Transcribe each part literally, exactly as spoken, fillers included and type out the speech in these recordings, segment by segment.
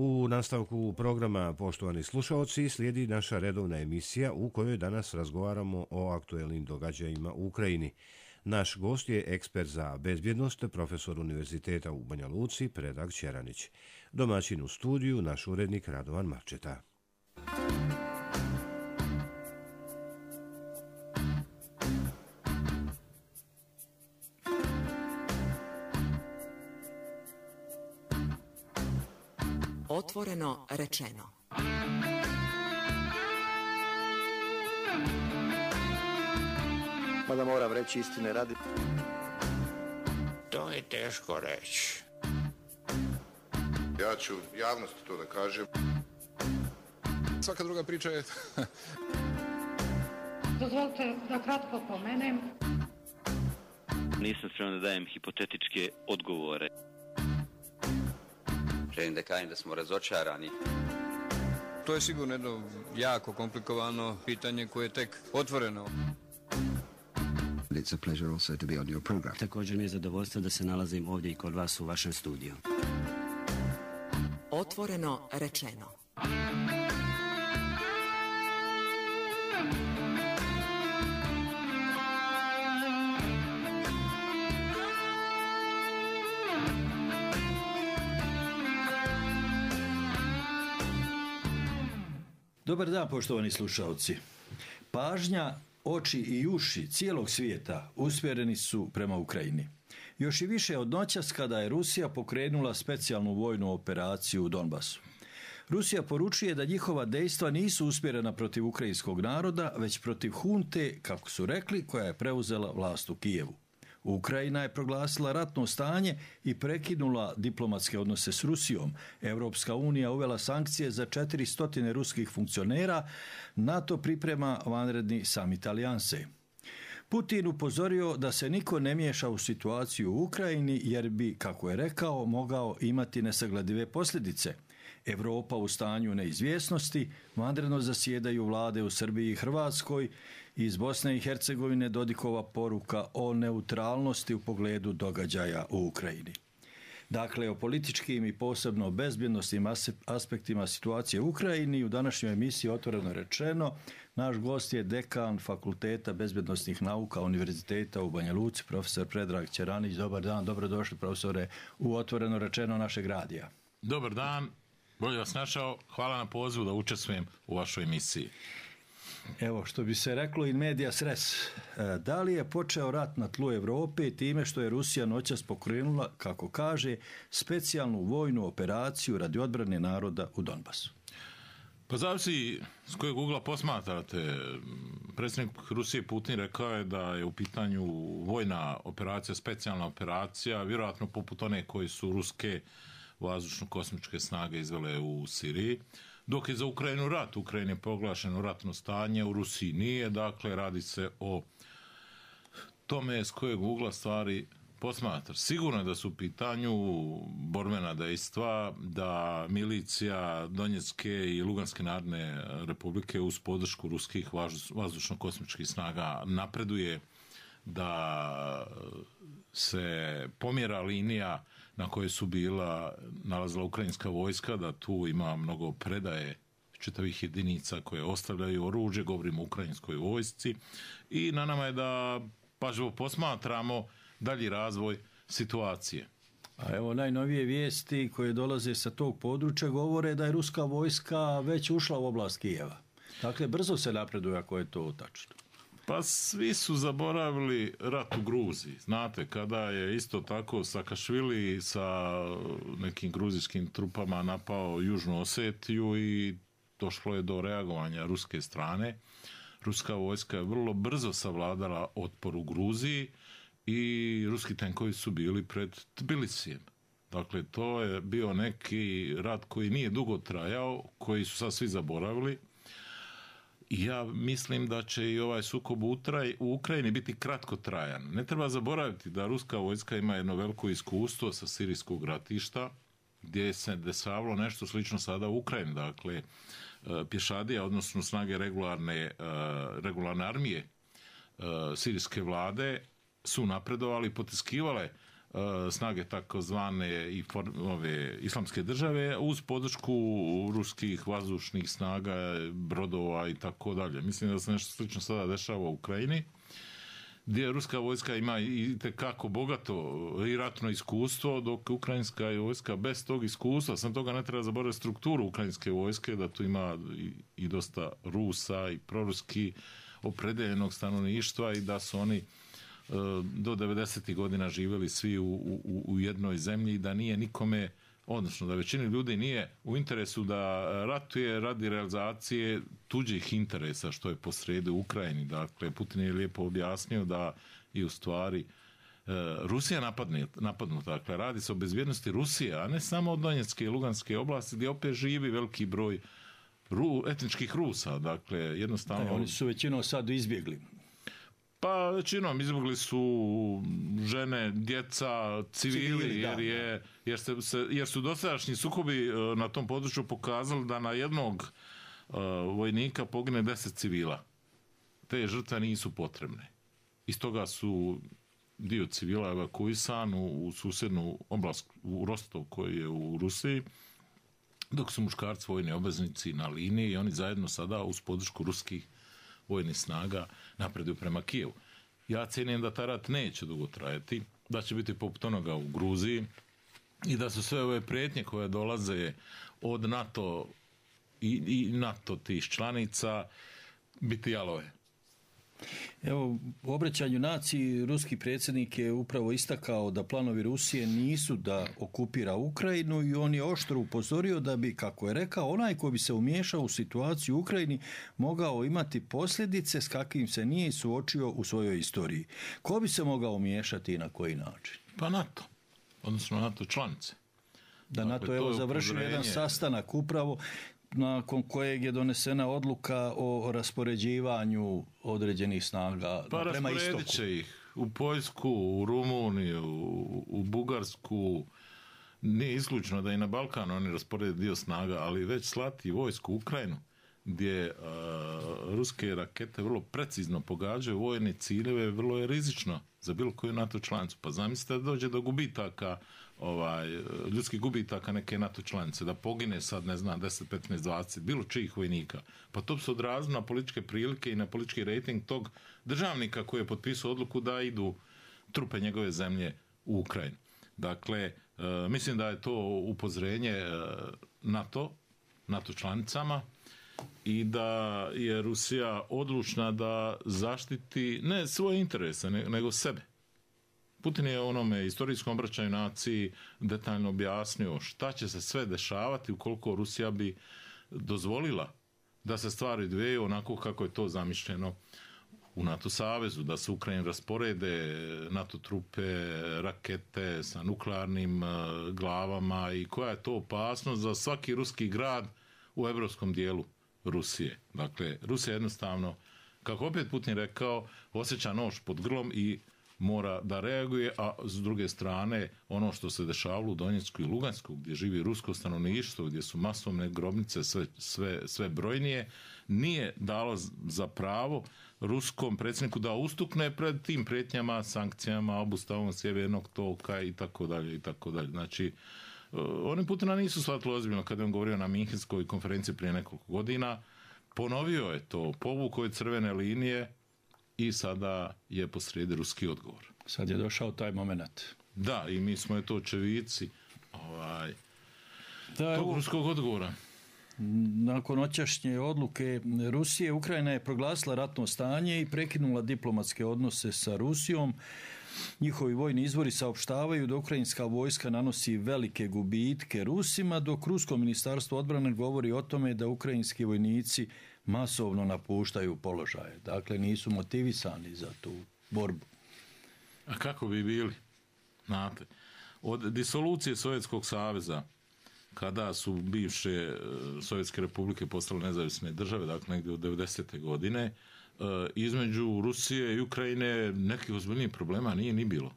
U nastavku programa, poštovani slušaoci, slijedi naša redovna emisija u kojoj danas razgovaramo o aktuelnim događajima u Ukrajini. Naš gost je ekspert za bezbjednost, profesor Univerziteta u Banja Luci, Predrag Ćeranić. Domaćin u studiju, naš urednik Radovan Marčeta. Otvoreno rečeno. Mada moram reći istine radi. To je teško reći. Ja ću javnosti to da kažem. Svaka druga priča je... Dozvolite da kratko pomenem. Nisam spreman da dajem hipotetičke odgovore. Želim da kažem da smo razočarani. To je sigurno jedno jako komplikovano pitanje koje je tek otvoreno. It's a pleasure also to be on your program. Također mi je zadovoljstvo da se nalazim ovdje i kod vas u vašem studiju. Otvoreno rečeno. Dobar dan, poštovani slušalci. Pažnja, oči i uši cijelog svijeta usmjereni su prema Ukrajini. Još i više od noćas kada je Rusija pokrenula specijalnu vojnu operaciju u Donbasu. Rusija poručuje da njihova dejstva nisu usmjerena protiv ukrajinskog naroda, već protiv hunte, kako su rekli, koja je preuzela vlast u Kijevu. Ukrajina je proglasila ratno stanje i prekinula diplomatske odnose s Rusijom. Europska unija uvela sankcije za četiristo ruskih funkcionera, NATO priprema vanredni samit alijanse. Putin upozorio da se niko ne miješa u situaciju u Ukrajini jer bi, kako je rekao, mogao imati nesagledive posljedice. Evropa u stanju neizvjesnosti, vanredno zasjedaju vlade u Srbiji i Hrvatskoj, iz Bosne i Hercegovine Dodikova poruka o neutralnosti u pogledu događaja u Ukrajini. Dakle, o političkim i posebno bezbjednosnim aspektima situacije u Ukrajini u današnjoj emisiji Otvoreno rečeno. Naš gost je dekan Fakulteta bezbjednosnih nauka Univerziteta u Banja Luci, profesor Predrag Ćeranić. Dobar dan, dobrodošli profesore u Otvoreno rečeno našeg radija. Dobar dan, bolje vas našao, hvala na pozivu da učestvujem u vašoj emisiji. Evo, što bi se reklo in medias res, da li je počeo rat na tlu Evrope time što je Rusija noćas pokrenula, kako kaže, specijalnu vojnu operaciju radi odbrane naroda u Donbasu? Pa zavisi s kojeg ugla posmatrate. Predsjednik Rusije Putin rekao je da je u pitanju vojna operacija, specijalna operacija, vjerojatno poput one koji su ruske vazdušno-kosmičke snage izvele u Siriji. Dok je za Ukrajinu rat, u Ukrajini je proglašeno ratno stanje, u Rusiji nije, dakle radi se o tome s kojeg ugla stvari posmatra. Sigurno je da su u pitanju borbena dejstva, da milicija Donjecke i Luganske narodne republike uz podršku ruskih vazdušno-kosmičkih snaga napreduje, da se pomjera linija na kojoj su bila nalazila ukrajinska vojska, da tu ima mnogo predaje čitavih jedinica koje ostavljaju oružje, govorimo o ukrajinskoj vojsci, i na nama je da pažljivo posmatramo dalji razvoj situacije. A evo, najnovije vijesti koje dolaze sa tog područja govore da je ruska vojska već ušla u oblast Kijeva. Dakle, brzo se napreduje ako je to tačno. Pa svi su zaboravili rat u Gruziji. Znate, kada je isto tako Sakašvili sa nekim gruzijskim trupama napao Južnu Osetiju i došlo je do reagovanja ruske strane. Ruska vojska je vrlo brzo savladala otpor u Gruziji i ruski tenkovi su bili pred Tbilisijem. Dakle, to je bio neki rat koji nije dugo trajao, koji su sad svi zaboravili. Ja mislim da će i ovaj sukob u Ukrajini biti kratkotrajan. Ne treba zaboraviti da ruska vojska ima jedno veliko iskustvo sa sirijskog ratišta, gdje se dešavalo nešto slično sada u Ukrajini. Dakle, pješadija, odnosno snage regularne, regularne armije sirijske vlade su napredovali i potiskivale snage takozvane i for, ove islamske države uz podršku ruskih vazdušnih snaga, brodova i tako dalje. Mislim da se nešto slično sada dešava u Ukrajini, gdje ruska vojska ima i tekako bogato i ratno iskustvo, dok ukrajinska vojska bez tog iskustva, sam toga ne treba zaboraviti strukturu ukrajinske vojske, da tu ima i, i dosta Rusa i proruski opredeljenog stanovništva i da su oni do devedesetih godina živjeli svi u, u, u jednoj zemlji i da nije nikome, odnosno da većini ljudi nije u interesu da ratuje radi realizacije tuđih interesa, što je posrijedi u Ukrajini. Dakle, Putin je lijepo objasnio da i u stvari Rusija napadne, napadnuta. Dakle, radi se o bezbjednosti Rusije, a ne samo od Donjecke i Luganske oblasti, gdje opet živi veliki broj ru, etničkih Rusa. Dakle, jednostavno... Da, oni su većinom sad izbjegli. Pa većinom izbjegli su žene, djeca, civili, civili jer, je, jer, se, se, jer su dosadašnji sukobi na tom području pokazali da na jednog uh, vojnika pogine deset civila. Te žrtve nisu potrebne. Iz toga su dio civila evakuisan u, u susjednu oblast, u Rostov koji je u Rusiji, dok su muškarci vojni obveznici na liniji i oni zajedno sada uz podršku ruskih vojnih snaga napreduju prema Kijevu. Ja cijenim da taj rat neće dugo trajati, da će biti poput onoga u Gruziji i da su sve ove prijetnje koje dolaze od NATO i, i NATO tih članica biti jalove. Evo, u obraćanju naciji ruski predsjednik je upravo istakao da planovi Rusije nisu da okupira Ukrajinu i on je oštro upozorio da bi, kako je rekao, onaj ko bi se umiješao u situaciju u Ukrajini mogao imati posljedice s kakvim se nije suočio u svojoj istoriji. Ko bi se mogao umiješati i na koji način? Pa NATO, odnosno NATO članice. Da dakle, NATO je završio jedan sastanak upravo nakon kojeg je donesena odluka o raspoređivanju određenih snaga pa prema istoku. Pa rasporedit će ih u Poljsku, u Rumuniju, u Bugarsku. Nije isključno da i na Balkanu oni rasporede dio snaga, ali već slati vojsku u Ukrajinu, gdje a, ruske rakete vrlo precizno pogađaju vojne ciljeve, vrlo je rizično za bilo koju NATO članicu. Pa zamislite da dođe do gubitaka, ovaj, ljudskih gubitaka neke NATO članice, da pogine sad, ne znam, deset, petnaest, dvadeset, bilo čijih vojnika. Pa to bi se odrazilo na političke prilike i na politički rejting tog državnika koji je potpisao odluku da idu trupe njegove zemlje u Ukrajinu. Dakle, e, mislim da je to upozorenje e, NATO, NATO članicama, i da je Rusija odlučna da zaštiti ne svoje interese, nego sebe. Putin je onome istorijskom obraćanju naciji detaljno objasnio šta će se sve dešavati ukoliko Rusija bi dozvolila da se stvari dveju onako kako je to zamišljeno u NATO savezu, da se Ukrajini rasporede NATO trupe, rakete sa nuklearnim glavama i koja je to opasnost za svaki ruski grad u evropskom dijelu Rusije. Dakle, Rusija jednostavno, kako opet Putin rekao, osjeća nož pod grlom i mora da reaguje, a s druge strane ono što se dešavalo u Donjecku i Lugansku, gdje živi rusko stanovništvo, gdje su masovne grobnice sve, sve, sve brojnije, nije dalo za pravo ruskom predsjedniku da ustukne pred tim prijetnjama, sankcijama, obustavom sjevernog toka i tako dalje i tako dalje. Znači, oni Putina nisu shvatili ozbiljno kada je on govorio na Minhenskoj konferenciji prije nekoliko godina. Ponovio je to, povukao je crvene linije i sada je posrijedi ruski odgovor. Sad je došao taj moment. Da, i mi smo je to očevici ovaj, da, tog ruskog odgovora. Nakon noćašnje odluke Rusije, Ukrajina je proglasila ratno stanje i prekinula diplomatske odnose sa Rusijom. Njihovi vojni izvori saopštavaju da ukrajinska vojska nanosi velike gubitke Rusima, dok rusko ministarstvo odbrane govori o tome da ukrajinski vojnici masovno napuštaju položaje. Dakle, nisu motivisani za tu borbu. A kako bi bili? Znate, od disolucije Sovjetskog saveza, kada su bivše Sovjetske republike postale nezavisne države, dakle negdje od devedesete godine, između Rusije i Ukrajine nekih ozbiljnijih problema nije ni bilo.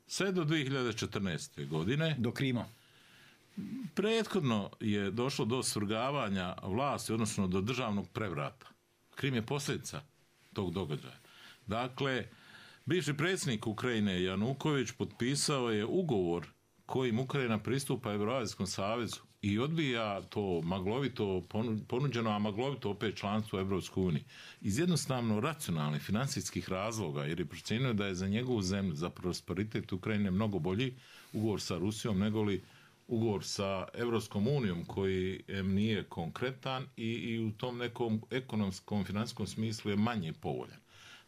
Sve do dvije hiljade četrnaeste. godine. Do Krima. Prethodno je došlo do svrgavanja vlasti, odnosno do državnog prevrata. Krim je posljedica tog događaja. Dakle, Bivši predsjednik Ukrajine Januković potpisao je ugovor kojim Ukrajina pristupa Euroazijskom savezu i odbija to maglovito ponuđeno, a maglovito opet članstvo u Evropskoj uniji. Iz jednostavno racionalnih financijskih razloga, jer je procijenio da je za njegovu zemlju, za prosperitet Ukrajine mnogo bolji ugovor sa Rusijom nego li ugovor sa Evropskom unijom koji em, nije konkretan i, i u tom nekom ekonomskom, financijskom smislu je manje povoljan.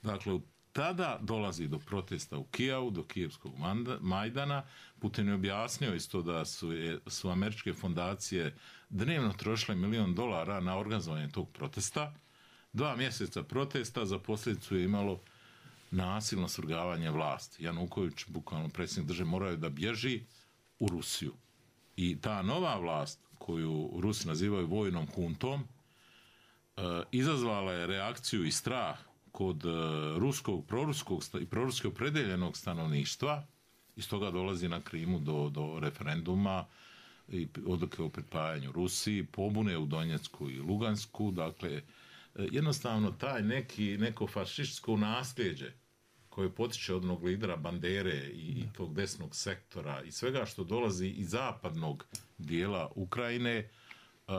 Dakle, tada dolazi do protesta u Kijevu, do Kijevskog Majdana. Putin je objasnio isto da su, je, su američke fondacije dnevno trošile milion dolara na organizovanje tog protesta. Dva mjeseca protesta za posljedicu je imalo nasilno svrgavanje vlasti. Januković, bukvalno predsjednik države, morao da bježi u Rusiju. I ta nova vlast, koju Rusi nazivaju vojnom huntom, e, izazvala je reakciju i strah kod e, ruskog, proruskog i proruski opredeljenog stanovništva. Iz toga dolazi na Krimu do, do referenduma i odluke o pripajanju Rusiji, pobune u Donjecku i Lugansku. Dakle, e, jednostavno taj neki, neko fašističko nasljeđe koje potiče od onog lidera Bandere i tog desnog sektora i svega što dolazi iz zapadnog dijela Ukrajine uh,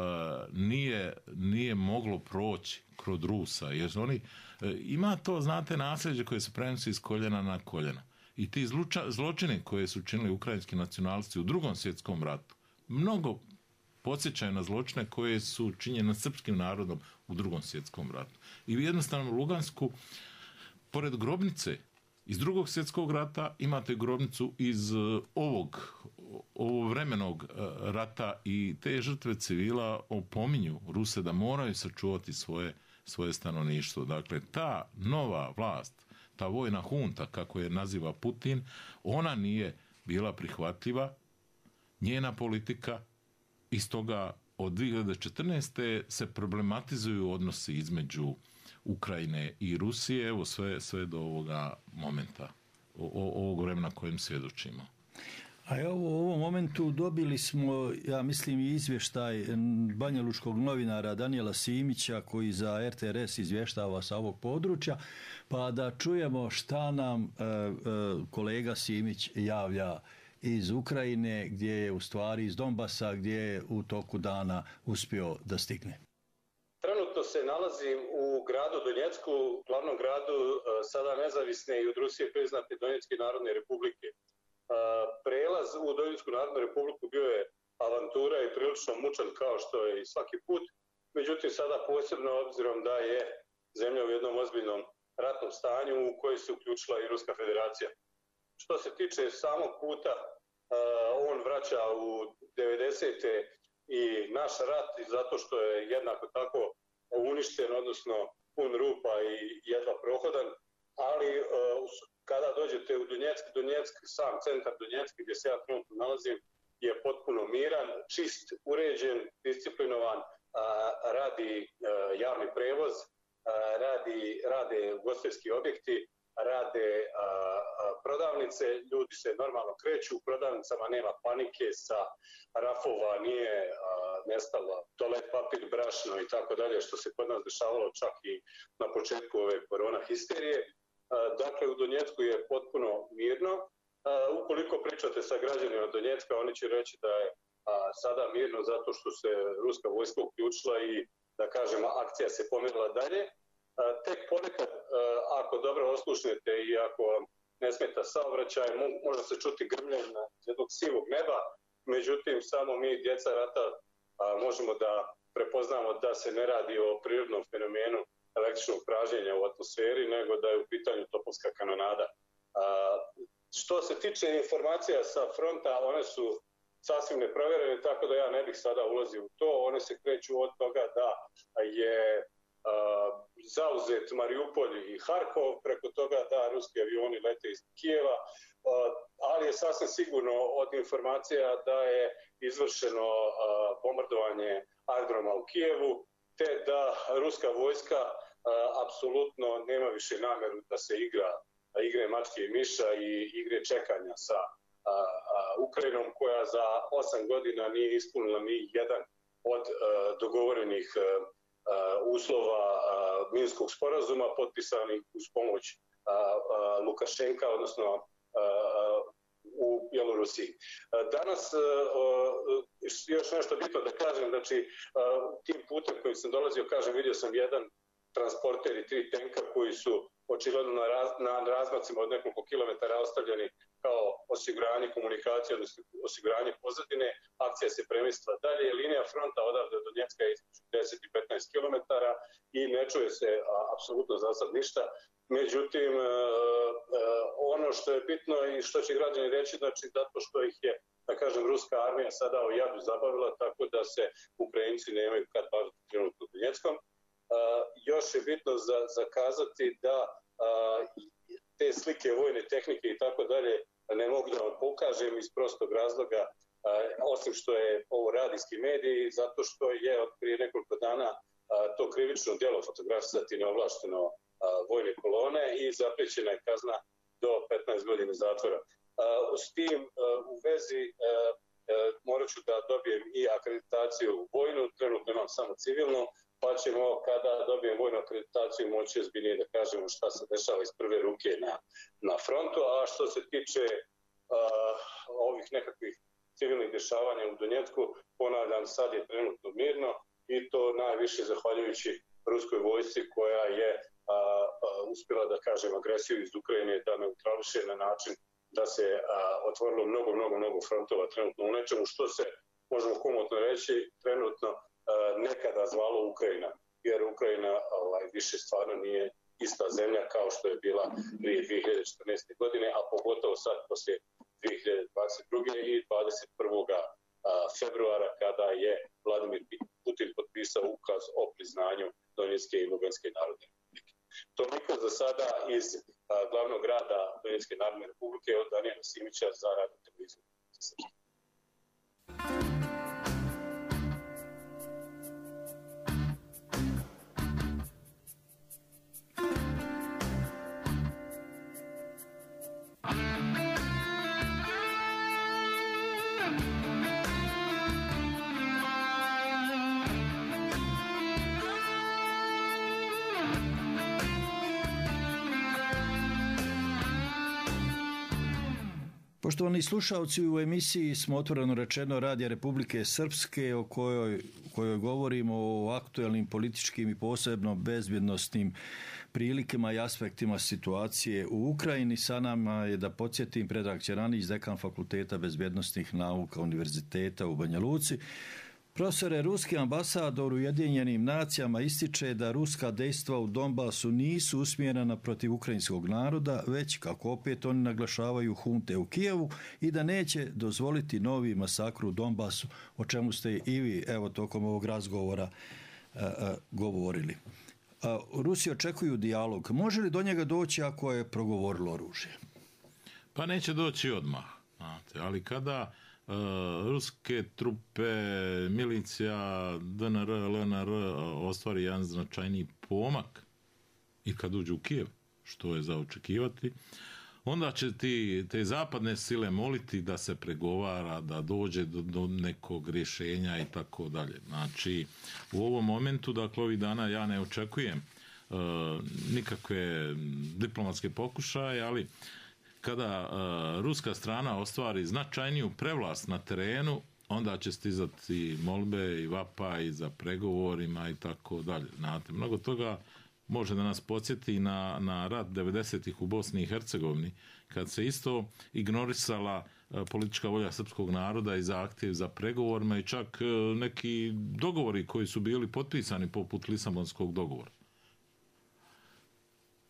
nije, nije moglo proći kroz Rusa. Jer oni, uh, ima to, znate, nasljeđe koje se prenosi iz koljena na koljena. I ti zluča, zločini koje su činili ukrajinski nacionalisti u drugom svjetskom ratu, mnogo podsjećaju na zločine koje su činjene nad srpskim narodom u drugom svjetskom ratu. I jednostavno u Lugansku, pored grobnice iz drugog svjetskog rata, imate grobnicu iz ovog, ovog vremenog rata i te žrtve civila opominju Ruse da moraju sačuvati svoje, svoje stanovništvo. Dakle, ta nova vlast, ta vojna hunta, kako je naziva Putin, ona nije bila prihvatljiva, njena politika, iz toga od dvije hiljade četrnaeste se problematizuju odnosi između Ukrajine i Rusije, evo sve, sve do ovoga momenta, o, o, ovog vremena kojem svjedočimo. A evo u ovom momentu dobili smo, ja mislim, i izvještaj banjalučkog novinara Danijela Simića koji za er te er es izvještava sa ovog područja, pa da čujemo šta nam e, e, kolega Simić javlja iz Ukrajine, gdje je u stvari iz Donbasa, gdje je u toku dana uspio da stigne. Trenutno se nalazim u gradu Donjecku, glavnom gradu sada nezavisne i od Rusije priznate Donjecke narodne republike. Prelaz u Donjecku narodnu republiku bio je avantura i prilično mučan kao što je i svaki put. Međutim, sada posebno obzirom da je zemlja u jednom ozbiljnom ratnom stanju u koji se uključila i Ruska federacija. Što se tiče samog puta, on vraća u devedesete i naš rat zato što je jednako tako uništen, odnosno pun rupa i jedva prohodan, ali kada dođete u Donjeck, Donjeck, sam centar Donjecka gdje se ja trenutno nalazim, je potpuno miran, čist, uređen, disciplinovan, radi javni prevoz, radi, rade ugostiteljski objekti, rade a, a, prodavnice, ljudi se normalno kreću, u prodavnicama nema panike, sa rafova nije a, nestalo toalet papir, brašno i tako dalje, što se kod nas dešavalo čak i na početku ove korona histerije. A, dakle, u Donjecku je potpuno mirno. A, ukoliko pričate sa građanima Donjecka, oni će reći da je a, sada mirno zato što se ruska vojska uključila i, da kažemo, akcija se pomerila dalje. Tek ponekad, ako dobro oslušnete i ako vam ne smeta saobraćaj, može se čuti grmljenje jednog sivog neba, međutim, samo mi, djeca rata, možemo da prepoznamo da se ne radi o prirodnom fenomenu električnog pražnjenja u atmosferi, nego da je u pitanju topovska kanonada. Što se tiče informacija sa fronta, one su sasvim neprovjerene, tako da ja ne bih sada ulazio u to. One se kreću od toga da je Uh, zauzet Mariupolj i Harkov, preko toga da ruski avioni lete iz Kijeva, uh, ali je sasvim sigurno od informacija da je izvršeno uh, bombardovanje aerodroma u Kijevu, te da ruska vojska uh, apsolutno nema više namjeru da se igra igre mačke i miša i igre čekanja sa uh, uh, Ukrajinom, koja za osam godina nije ispunila ni jedan od uh, dogovorenih uh, uslova Minskog sporazuma potpisanih uz pomoć Lukašenka, odnosno u Bjelorusiji. Danas još nešto bitno da kažem, znači tim putem kojim sam dolazio, kažem, vidio sam jedan transporter i tri tenka koji su očigledno na, raz, na razmacima od nekoliko kilometara ostavljeni kao osiguranje komunikacije, odnosno osiguranje pozadine. Akcija se premjestila dalje. Linija fronta odavde do Donjecka je između deset i petnaest kilometara i ne čuje se a, apsolutno za sad ništa. Međutim, e, e, ono što je bitno i što će građani reći, znači zato što ih je, da kažem, ruska armija sada o jadu zabavila, tako da se Ukrajinci nemaju kad baviti trenutno Donjeckom. Uh, još je bitno za, zakazati da uh, te slike vojne tehnike i tako dalje ne mogu da vam pokažem iz prostog razloga, uh, osim što je ovo radijski medij, zato što je od prije nekoliko dana uh, to krivično djelo fotografisati neovlašteno uh, vojne kolone i zapriječena je kazna do petnaest godina zatvora. Uh, s tim uh, u vezi uh, uh, morat ću da dobijem i akreditaciju vojnu, trenutno imam samo civilnu, pa ćemo kada dobijem vojnu akreditaciju moći ozbiljnije da kažemo šta se dešava iz prve ruke na, na frontu, a što se tiče uh, ovih nekakvih civilnih dešavanja u Donjecku, ponavljam, sad je trenutno mirno i to najviše zahvaljujući ruskoj vojsci koja je uh, uh, uspjela da kažem agresiju iz Ukrajine da neutrališe na način da se uh, otvorilo mnogo, mnogo, mnogo frontova trenutno u nečemu što se, možemo komotno reći, trenutno nekada zvalo Ukrajina, jer Ukrajina ovaj, više stvarno nije ista zemlja kao što je bila prije dvije hiljade četrnaeste. godine, a pogotovo sad poslije dvije hiljade dvadeset druge. i dvadeset prvog februara kada je Vladimir Putin potpisao ukaz o priznanju Donjecke i Luganske narodne republike. Toliko za sada iz a, glavnog grada Donjecke narodne republike od Danijela Simića za Radio televiziju. Poštovani slušalci, u emisiji smo otvoreno rečeno Radija Republike Srpske o kojoj, kojoj govorimo o aktuelnim političkim i posebno bezbjednostnim prilikama i aspektima situacije u Ukrajini. Sa nama je, da podsjetim, Predrag Ćeranić, dekan Fakulteta bezbjednostnih nauka Univerziteta u Banja Luci. Profesore, ruski ambasador u Ujedinjenim nacijama ističe da ruska dejstva u Donbasu nisu usmjerena protiv ukrajinskog naroda, već, kako opet oni naglašavaju, hunte u Kijevu i da neće dozvoliti novi masakr u Donbasu, o čemu ste i vi, evo, tokom ovog razgovora a, a, govorili. A, Rusi očekuju dijalog. Može li do njega doći ako je progovorilo oružje? Pa neće doći odmah, znate, ali kada Uh, ruske trupe, milicija, D N R, L N R ostvari jedan značajniji pomak i kad uđu u Kijev, što je za očekivati, onda će ti, te zapadne sile moliti da se pregovara, da dođe do, do nekog rješenja i tako dalje. Znači, u ovom momentu, dakle, ovih dana ja ne očekujem uh, nikakve diplomatske pokušaje, ali kada uh, ruska strana ostvari značajniju prevlast na terenu, onda će stizati molbe i vapaj za pregovorima i tako dalje. Znate, mnogo toga može da nas podsjeti na, na rat devedesetih u Bosni i Hercegovini, kad se isto ignorisala uh, politička volja srpskog naroda i zahtjev za pregovorima i čak uh, neki dogovori koji su bili potpisani poput Lisabonskog dogovora.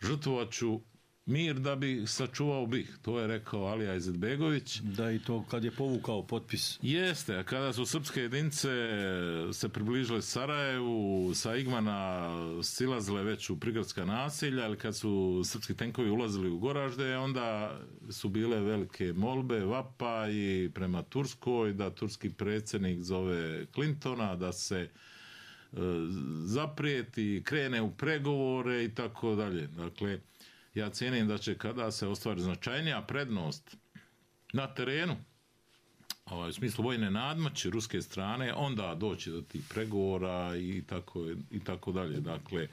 Žrtvovaću mir da bi sačuvao bih, to je rekao Alija Izetbegović. Da, i to kad je povukao potpis. Jeste, a kada su srpske jedinice se približile Sarajevu, sa Igmana silazile već u prigradska naselja, ali kad su srpski tenkovi ulazili u Goražde, onda su bile velike molbe, vapa i prema Turskoj, da turski predsjednik zove Clintona, da se e, zaprijeti, krene u pregovore i tako dalje. Dakle, ja cijenim da će kada se ostvari značajnija prednost na terenu, ovaj, u smislu vojne nadmoći ruske strane, onda doći do tih pregovora i tako, i tako dalje. Dakle,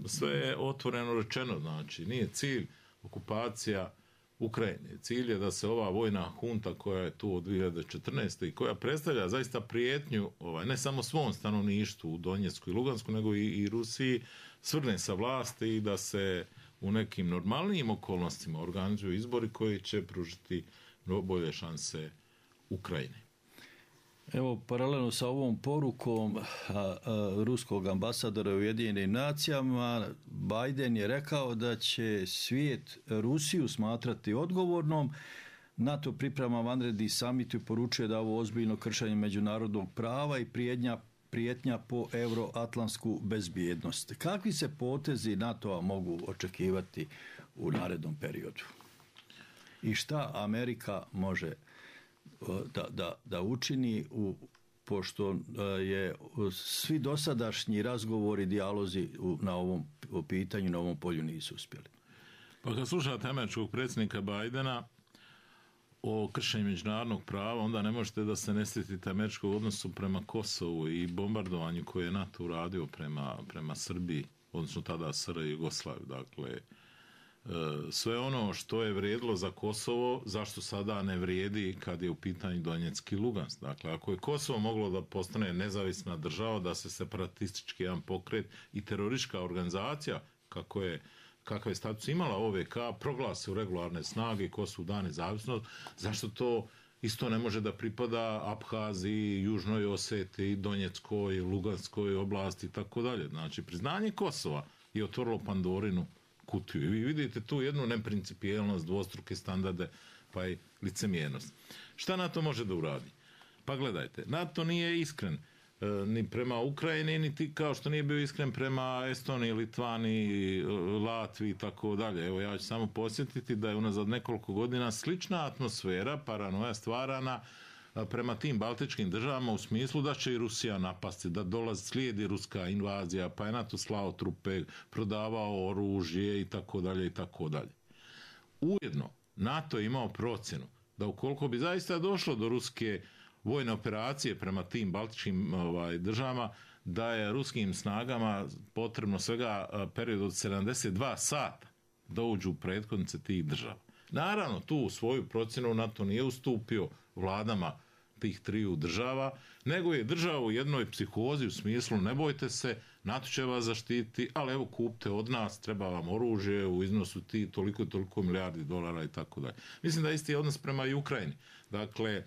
sve je otvoreno rečeno, znači nije cilj okupacija Ukrajine. Cilj je da se ova vojna hunta koja je tu od dvije hiljade četrnaeste. i koja predstavlja zaista prijetnju ovaj, ne samo svom stanovništvu u Donjecku i Lugansku, nego i, i Rusiji, svrne sa vlasti i da se u nekim normalnijim okolnostima organizuju izbori koji će pružiti bolje šanse Ukrajine. Evo, paralelno sa ovom porukom a, a, ruskog ambasadora u Ujedinjenim nacijama, Biden je rekao da će svijet Rusiju smatrati odgovornom. NATO priprema vanredni samit i poručuje da ovo ozbiljno kršenje međunarodnog prava i prijetnja, prijetnja po euroatlantsku bezbjednost. Kakvi se potezi NATO-a mogu očekivati u narednom periodu? I šta Amerika može Da, da, da učini u, pošto je svi dosadašnji razgovori i dijalozi u, na ovom pitanju, na ovom polju nisu uspjeli. Pa kad slušate američkog predsjednika Bidena o kršenju međunarodnog prava, onda ne možete da se ne sjetite američkog odnosu prema Kosovu i bombardovanju koje je NATO uradio prema, prema Srbiji, odnosno tada S R J Jugoslaviju. Dakle, sve ono što je vrijedilo za Kosovo, zašto sada ne vrijedi kad je u pitanju Donjecki i Lugansk. Dakle, ako je Kosovo moglo da postane nezavisna država, da se separatistički jedan pokret i teroristička organizacija, kako je, kakav je status imala O V K, proglasi u regularne snage, Kosovo da nezavisnost, zašto to isto ne može da pripada Abhaziji, Južnoj Osetiji, Donjeckoj, Luganskoj oblasti i tako dalje. Znači, priznanje Kosova je otvorilo Pandorinu kutiju. I vi vidite tu jednu neprincipijelnost, dvostruke standarde, pa i licemjernost. Šta NATO može da uradi? Pa gledajte, NATO nije iskren e, ni prema Ukrajini, niti kao što nije bio iskren prema Estoniji, Litvani, Latviji i tako dalje. Evo, ja ću samo posjetiti da je unazad nekoliko godina slična atmosfera, paranoja stvarana prema tim baltičkim državama u smislu da će i Rusija napasti, da dolazi, slijedi ruska invazija, pa je NATO slao trupe, prodavao oružje i tako dalje i tako dalje. Ujedno, NATO je imao procjenu da ukoliko bi zaista došlo do ruske vojne operacije prema tim baltičkim ovaj, državama, da je ruskim snagama potrebno svega period od sedamdeset dva sata da uđu u prethodnice tih država. Naravno, tu u svoju procjenu NATO nije ustupio vladama tih triju država, nego je država u jednoj psihozi u smislu ne bojte se, NATO će vas zaštiti, ali evo kupte od nas, treba vam oružje u iznosu ti toliko i toliko milijardi dolara i tako dalje. Mislim da isti je odnos prema i Ukrajini. Dakle, e,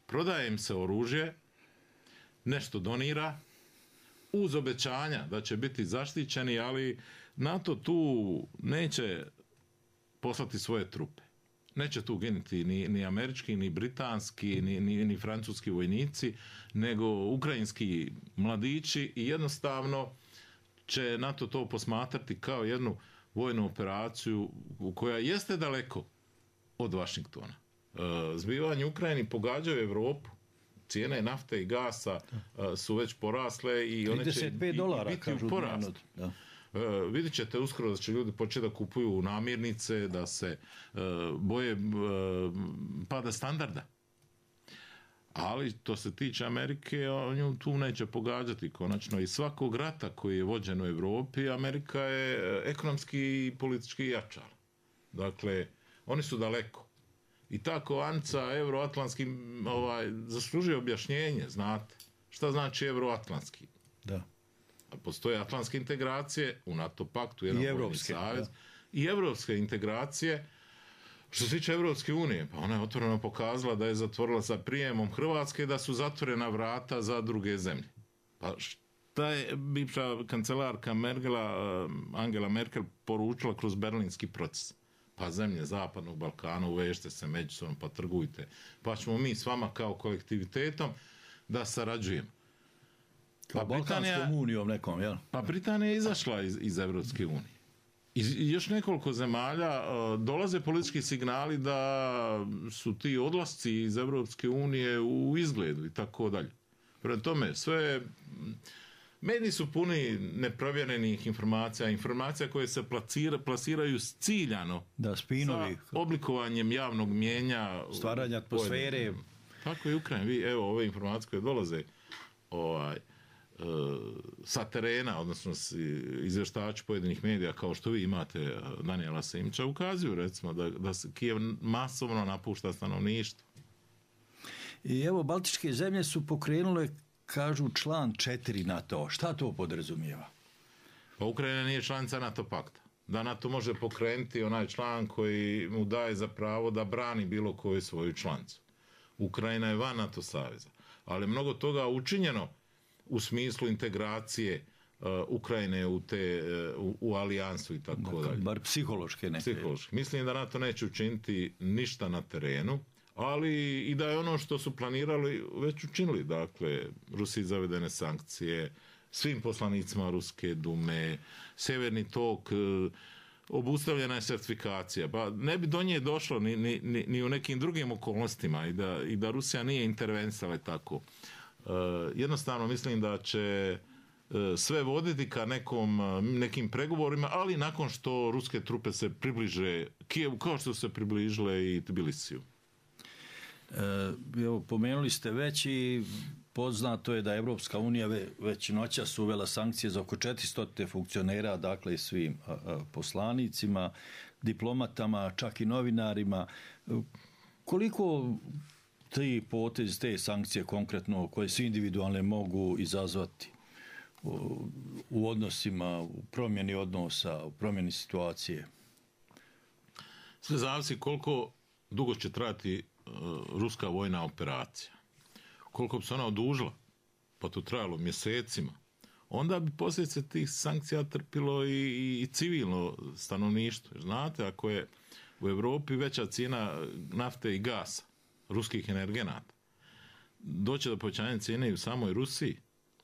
prodaje im se oružje, nešto donira, uz obećanja da će biti zaštićeni, ali NATO tu neće poslati svoje trupe. Neće tu ginuti ni, ni američki, ni britanski, ni, ni, ni francuski vojnici, nego ukrajinski mladići i jednostavno će NATO to posmatrati kao jednu vojnu operaciju koja jeste daleko od Vašingtona. Zbivanje u Ukrajini pogađaju Evropu, cijene nafte i gasa su već porasle i one će dolara, biti u porastu. Da. Uh, vidjet ćete uskoro da će ljudi početi da kupuju namirnice, da se uh, boje uh, pada standarda. Ali to se tiče Amerike, on ju tu neće pogađati konačno. I svakog rata koji je vođen u Evropi, Amerika je ekonomski i politički jačala. Dakle, oni su daleko. I ta kovanica euroatlantski ovaj, zaslužuje objašnjenje, znate. Šta znači euroatlantski? Da. Postoje atlantske integracije u NATO paktu, jedan vojni savez, i evropske integracije. Što se tiče Evropske unije, pa ona je otvoreno pokazala da je zatvorila sa prijemom Hrvatske, da su zatvorena vrata za druge zemlje. Pa šta je bivša kancelarka Merkela, Angela Merkel poručila kroz berlinski proces? Pa zemlje Zapadnog Balkana, uvežite se međusobno, pa trgujte. Pa ćemo mi s vama kao kolektivitetom da sarađujemo. Pa Balkanskom unijom nekom, jel? Pa Britanija je izašla iz, iz Evropske unije. I još nekoliko zemalja uh, dolaze politički signali da su ti odlasci iz Evropske unije u izgledu i tako dalje. Prema tome, sve mediji su puni neprovjerenih informacija, informacija koje se placira, plasiraju ciljano da, spinovi. Sa oblikovanjem javnog mijenja. Stvaranja atmosfere. Tako je Ukrajina. Vi, evo, ove informacije koje dolaze ovaj, sa terena, odnosno izvještači pojedinih medija, kao što vi imate Danijela Simča, ukazuju recimo da, da se Kijev masovno napušta stanovništvo. I evo, Baltičke zemlje su pokrenule, kažu, član četiri NATO. Šta to podrazumijeva? Pa Ukrajina nije članica NATO pakta. Da NATO može pokrenuti onaj član koji mu daje za pravo da brani bilo koju svoju članicu. Ukrajina je van NATO saveza. Ali mnogo toga učinjeno u smislu integracije uh, Ukrajine u te uh, u, u alijansu i tako dalje. Bar psihološke neke. Psihološke. Mislim da NATO neće učiniti ništa na terenu, ali i da je ono što su planirali već učinili. Dakle, Rusiji zavedene sankcije, svim poslanicima Ruske dume, Severni tok, uh, obustavljena je sertifikacija. Pa ne bi do nje došlo ni, ni, ni, ni u nekim drugim okolnostima i da, i da Rusija nije intervenisala tako. Uh, jednostavno mislim da će uh, sve voditi ka nekom, uh, nekim pregovorima, ali nakon što ruske trupe se približe Kijevu, kao što se približile i Tbilisiju. E, evo, pomenuli ste već i poznato je da Evropska unija već noćas uvela sankcije za oko četiristo funkcionera, dakle svim a, a, poslanicima, diplomatama, čak i novinarima. Koliko ti potezi, te sankcije konkretno, koje su individualne, mogu izazvati u, u odnosima, u promjeni odnosa, u promjeni situacije? Sve zavisi koliko dugo će trajati uh, ruska vojna operacija. Koliko bi se ona odužila, pa to trajalo mjesecima, onda bi posljedice tih sankcija trpilo i, i, i civilno stanovništvo. Znate, ako je u Evropi veća cijena nafte i gasa, ruskih energenata, doće do povećanja cijene i u samoj Rusiji,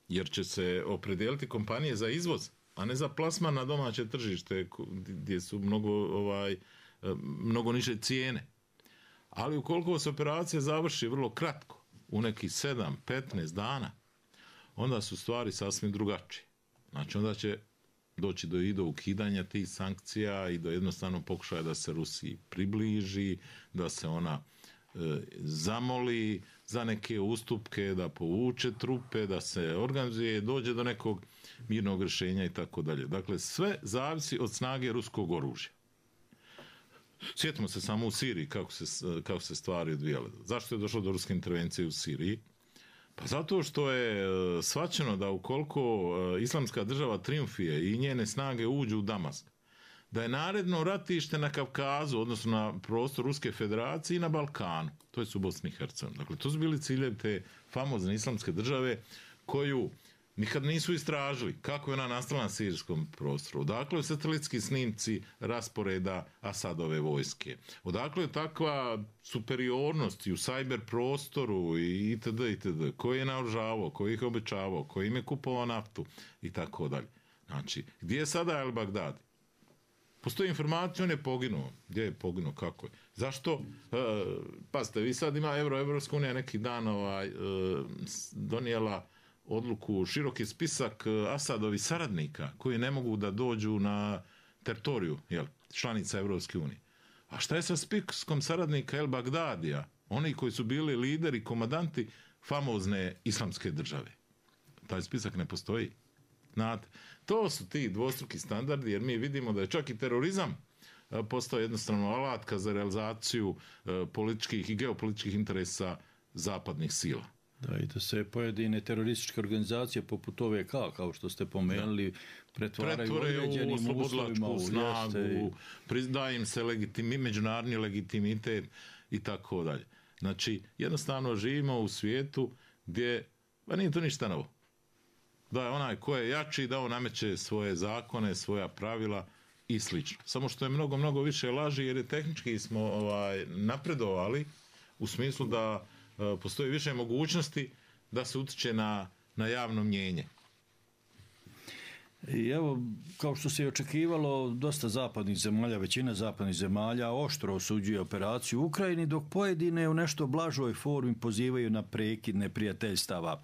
jer će se opredijeliti kompanije za izvoz, a ne za plasman na domaće tržište gdje su mnogo, ovaj, mnogo niže cijene. Ali ukoliko se operacija završi vrlo kratko, u nekih sedam do petnaest dana, onda su stvari sasvim drugačije. Znači, onda će doći do, i do ukidanja tih sankcija i do jednostavno pokušaja da se Rusiji približi, da se ona e, zamoli za neke ustupke, da povuče trupe, da se organizuje, dođe do nekog mirnog rješenja i tako dalje. Dakle, sve zavisi od snage ruskog oružja. Sjetimo se samo u Siriji kako se, kako se stvari odvijale. Zašto je došlo do ruske intervencije u Siriji? Pa zato što je shvaćeno da ukoliko islamska država triumfije i njene snage uđu u Damask, da je naredno ratište na Kavkazu, odnosno na prostor Ruske federacije i na Balkanu, to je u Bosni i Hercegovini. Dakle, to su bili ciljevi te famozne islamske države koju nikad nisu istražili kako je ona nastala na sirijskom prostoru. Odakle je satelitski snimci rasporeda Asadove vojske. Odakle je takva superiornost i u sajber prostoru i itd. itd. Koji je naoružavao, koji ih obećavao, koji im je kupovao naftu i tako dalje. Znači, gdje je sada El Bagdadi? Postoji informacija, on je poginuo. Gdje je poginuo, kako je? Zašto? E, pazite, vi sad ima Euro, Evropska unija neki dan ovaj, e, donijela odluku, široki spisak Asadovi saradnika koji ne mogu da dođu na teritoriju jel, članica Evropske unije. A šta je sa spiskom saradnika El Bagdadija? Oni koji su bili lideri, komandanti famozne islamske države. Taj spisak ne postoji. Znate, to su ti dvostruki standardi, jer mi vidimo da je čak i terorizam postao jednostavno alatka za realizaciju političkih i geopolitičkih interesa zapadnih sila. Da, i da se pojedine terorističke organizacije poput O V K, kao što ste pomenuli, pretvaraju određenim uslovima u slobodlačku snagu, pridaje im se legitimi, međunarodni legitimitet i tako dalje. Znači, jednostavno živimo u svijetu gdje, ba nije to ništa novo. Da je onaj ko je jači, da on nameće svoje zakone, svoja pravila i slično. Samo što je mnogo, mnogo više laži, jer je tehnički smo ovaj, napredovali u smislu da postoji više mogućnosti da se utiče na, na javno mnjenje. I evo, kao što se i očekivalo, dosta zapadnih zemalja, većina zapadnih zemalja oštro osuđuje operaciju u Ukrajini, dok pojedine u nešto blažoj formi pozivaju na prekid neprijateljstava.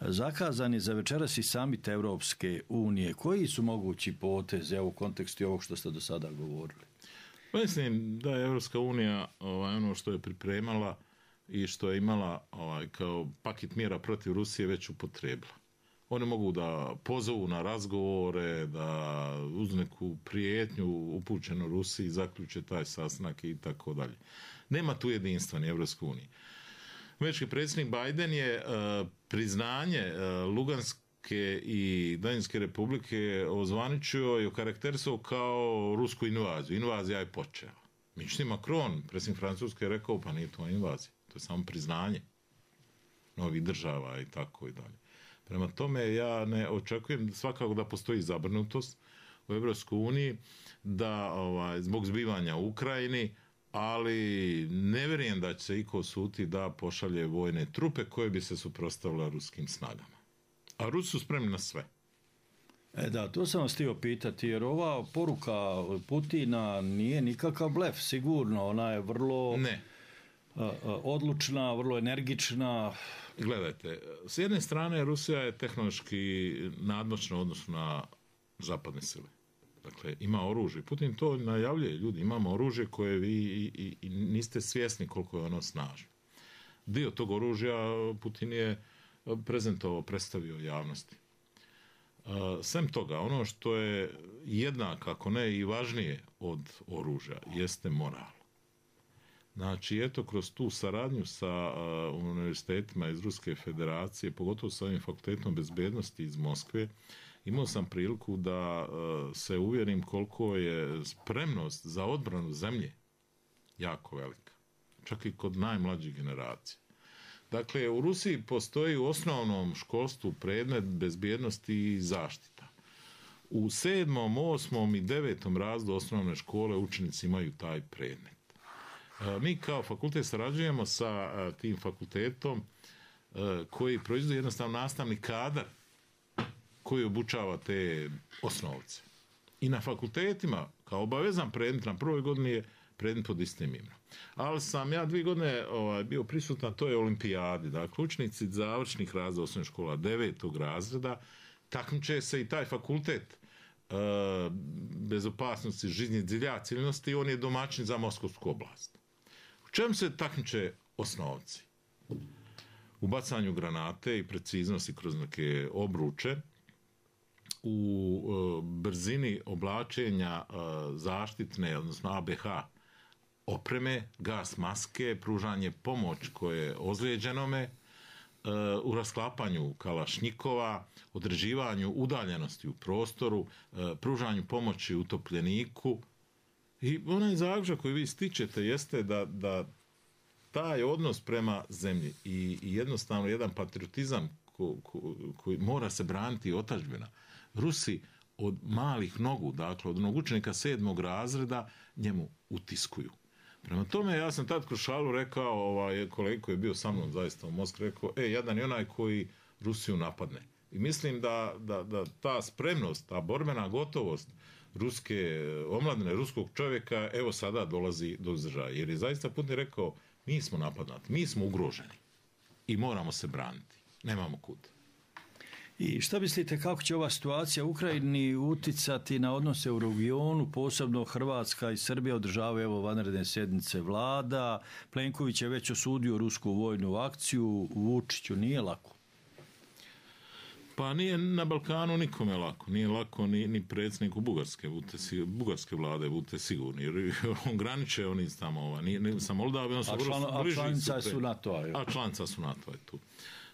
Zakazan je za večeras i samit Evropske unije. Koji su mogući potezi u kontekstu ovog što ste do sada govorili? Mislim da je Evropska unija ovaj, ono što je pripremala i što je imala ovaj, kao paket mjera protiv Rusije već upotrebila. Oni mogu da pozovu na razgovore, da uz neku prijetnju upućenu Rusiji zaključe taj sastanak i tako dalje. Nema tu jedinstva ni Evropske unije. Američki predsjednik Biden je uh, priznanje uh, Luganske i Donjecke republike ozvaničio i okarakterisao kao rusku invaziju. Invazija je počela. Međutim, Macron, predsjednik Francuske, je rekao pa nije to invazija. To je samo priznanje novih država i tako i dalje. Prema tome, ja ne očekujem svakako da postoji zabrinutost u Evropskoj uniji da ovaj, zbog zbivanja u Ukrajini, ali ne vjerujem da će se iko suti da pošalje vojne trupe koje bi se suprotstavile ruskim snagama. A Rusi su spremni na sve. E da, to sam vas htio pitati, jer ova poruka Putina nije nikakav blef, sigurno, ona je vrlo ne. odlučna, vrlo energična. Gledajte, s jedne strane Rusija je tehnološki nadmoćna u odnosu na zapadne sile. Dakle, ima oružje. Putin to najavljuje, ljudi, imamo oružje koje vi i, i, i niste svjesni koliko je ono snažno. Dio tog oružja Putin je prezentovao, predstavio javnosti. Sem toga, ono što je jednak, ako ne i važnije od oružja, jeste moral. Znači, eto, kroz tu saradnju sa uh, univerzitetima iz Ruske federacije, pogotovo sa ovim fakultetom bezbednosti iz Moskve, imao sam priliku da uh, se uvjerim koliko je spremnost za odbranu zemlje jako velika. Čak i kod najmlađih generacija. Dakle, u Rusiji postoji u osnovnom školstvu predmet bezbjednosti i zaštita. U sedmom, osmom i devetom razredu osnovne škole učenici imaju taj predmet. Mi kao fakultet sarađujemo sa tim fakultetom koji proizvodi jednostavno nastavni kadar koji obučava te osnovce. I na fakultetima, kao obavezan predmet na prvoj godini je predmet pod istim imenom. Ali sam ja dvije godine ovaj, bio prisutan, to je olimpijadi. Dakle, učenici završnih razreda osnovne škola devetog razreda takmiče se i taj fakultet e, bez opasnosti životne zilja civilnosti, on je domaćin za Moskovsku oblast. U čemu se takmiče osnovci? U bacanju granate i preciznosti kroz neke obruče, u e, brzini oblačenja e, zaštitne, odnosno A B H opreme, gas maske, pružanje pomoć koje je ozlijeđenome, e, u rasklapanju kalašnjikova, određivanju udaljenosti u prostoru, e, pružanju pomoći utopljeniku. I onaj zaključak koji vi stičete jeste da, da taj odnos prema zemlji i, i jednostavno jedan patriotizam ko, ko, koji mora se braniti otadžbina. Rusi od malih nogu, dakle od onog učenika sedmog razreda, njemu utiskuju. Prema tome, ja sam tad kroz šalu rekao, ovaj, kolega koji je bio sa mnom zaista u Moskvi, rekao, e, jedan je onaj koji Rusiju napadne. I mislim da, da, da ta spremnost, ta borbena gotovost ruske omladine, ruskog čovjeka, evo sada dolazi do izražaja. Jer je zaista Putin rekao, mi smo napadnati, mi smo ugroženi i moramo se braniti. Nemamo kud. I šta mislite kako će ova situacija u Ukrajini uticati na odnose u regionu, posebno Hrvatska i Srbija održavaju evo vanredne sjednice vlada, Plenković je već osudio rusku vojnu akciju, Vučiću nije lako? Pa nije na Balkanu nikome lako, nije lako ni, ni predsjedniku Bugarske, budite, bugarske vlade, budite sigurni, jer on graniče, oni tamo, ova, nije, nije sa Moldavijom, a, član, a članica su NATO-a. A članica su NATO-a tu.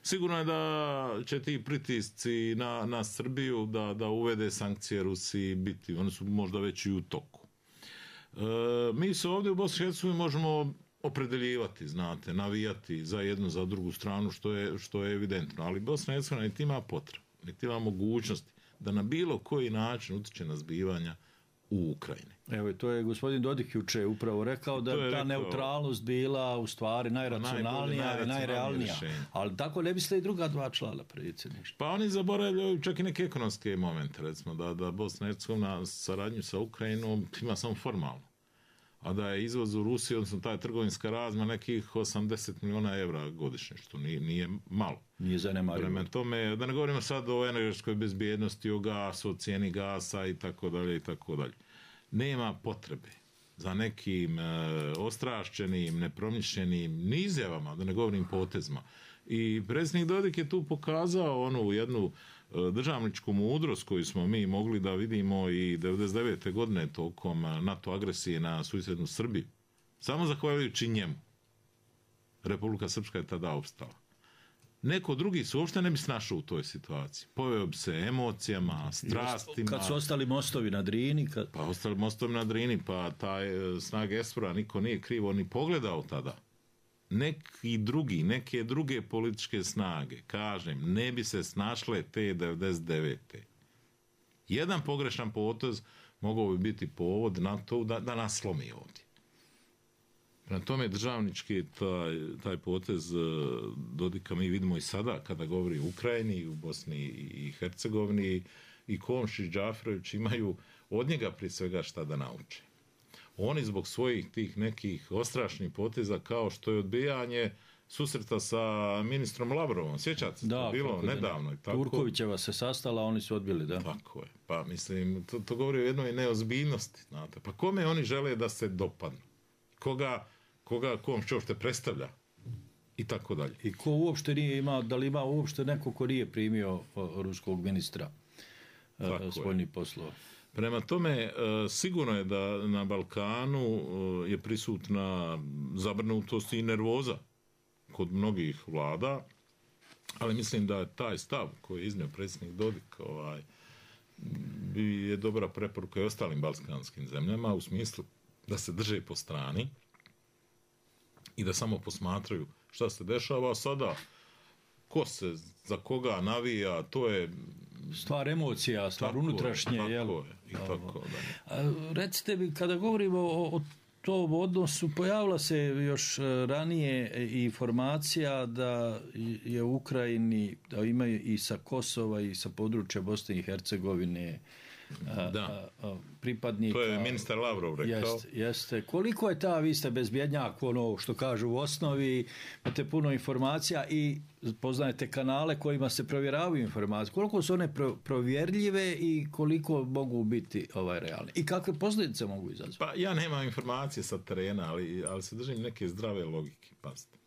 Sigurno je da će ti pritisci na, na Srbiju da, da uvede sankcije Rusiji biti, one su možda već i u toku. E, mi se ovdje u Bosni i Hercegovini možemo opredeljivati, znate, navijati za jednu, za drugu stranu, što je, što je evidentno, ali Bosna i Hercegovina niti ima potrebu, niti ima mogućnosti da na bilo koji način utiče na zbivanja u Ukrajini. Evo, to je gospodin Dodik juče upravo rekao da je ta rekao, neutralnost bila u stvari najracionalnija i najrealnija. Rješenje. Ali tako ne biste i druga dva člana predsjedništva. Pa oni zaboravljaju čak i neke ekonomske momente, recimo da, da Bosna i Hercegovina saradnju sa Ukrajinom ima samo formalno. A da je izvoz u Rusiji, odnosno ta trgovinska razma nekih osamdeset miliona evra godišnje, što nije, nije malo. Nije zanemarivo. Prema tome, da ne govorimo sad o energetskoj bezbjednosti, o gasu, o cijeni gasa i tako dalje i tako dalje. Nema potrebe za nekim e, ostrašćenim, nepromišljenim ni izjavama, da ne govorim potezima. I predsjednik Dodik je tu pokazao onu jednu državničku mudrost koju smo mi mogli da vidimo i devedeset devete godine tokom NATO agresije na susjednu Srbiju. Samo zahvaljujući njemu Republika Srpska je tada opstala. Neko drugi se uopšte ne bi snašao u toj situaciji. Poveo bi se emocijama, strastima. Kad su ostali mostovi na Drini. Kad... Pa ostali mostovi na Drini, pa taj snag Esfora niko nije krivo ni pogledao tada. Neki drugi, neke druge političke snage, kažem, ne bi se snašle te devedeset devete. Jedan pogrešan potez mogao bi biti povod na to da, da nas slomi ovdje. Na tome državnički taj, taj potez Dodika mi vidimo i sada kada govori o Ukrajini, u Bosni i Hercegovini, i Komšić i Džaferović imaju od njega prije svega šta da nauče. Oni zbog svojih tih nekih ostrašnih poteza kao što je odbijanje susreta sa ministrom Lavrovom. Sjećate se, da, bilo nedavno. Ne. Tako. Turkovićeva se sastala, oni su odbili, da. Tako je. Pa mislim, to, to govori o jednoj neozbiljnosti. Znate. Pa kome oni žele da se dopadnu? Koga, koga Komšić uopšte predstavlja? I tako dalje. I ko uopšte nije imao, da li ima uopšte neko ko nije primio ruskog ministra spoljnih poslova? Prema tome, sigurno je da na Balkanu je prisutna zabrinutost i nervoza kod mnogih vlada, ali mislim da je taj stav koji je iznio predsjednik Dodik ovaj, je dobra preporuka i ostalim balkanskim zemljama u smislu da se drže po strani i da samo posmatraju šta se dešava sada, ko se za koga navija, to je stvar emocija, stvar tako unutrašnje. Tako jel? je, i tako da. Recite mi, kada govorimo o, o tom odnosu, pojavila se još ranije informacija da je u Ukrajini, da imaju i sa Kosova i sa područja Bosne i Hercegovine da. A, a, pripadnika. To je ministar Lavrov rekao. Jeste, jeste. Koliko je ta, vi ste bezbjednjak, ono što kažu u osnovi, imate puno informacija i poznajete kanale kojima se provjeravaju informacije. Koliko su one pro, provjerljive i koliko mogu biti ovaj realne? I kakve posljedice mogu izazvati? Pa ja nemam informacije sa terena, ali, ali se držim neke zdrave logike. Pazite.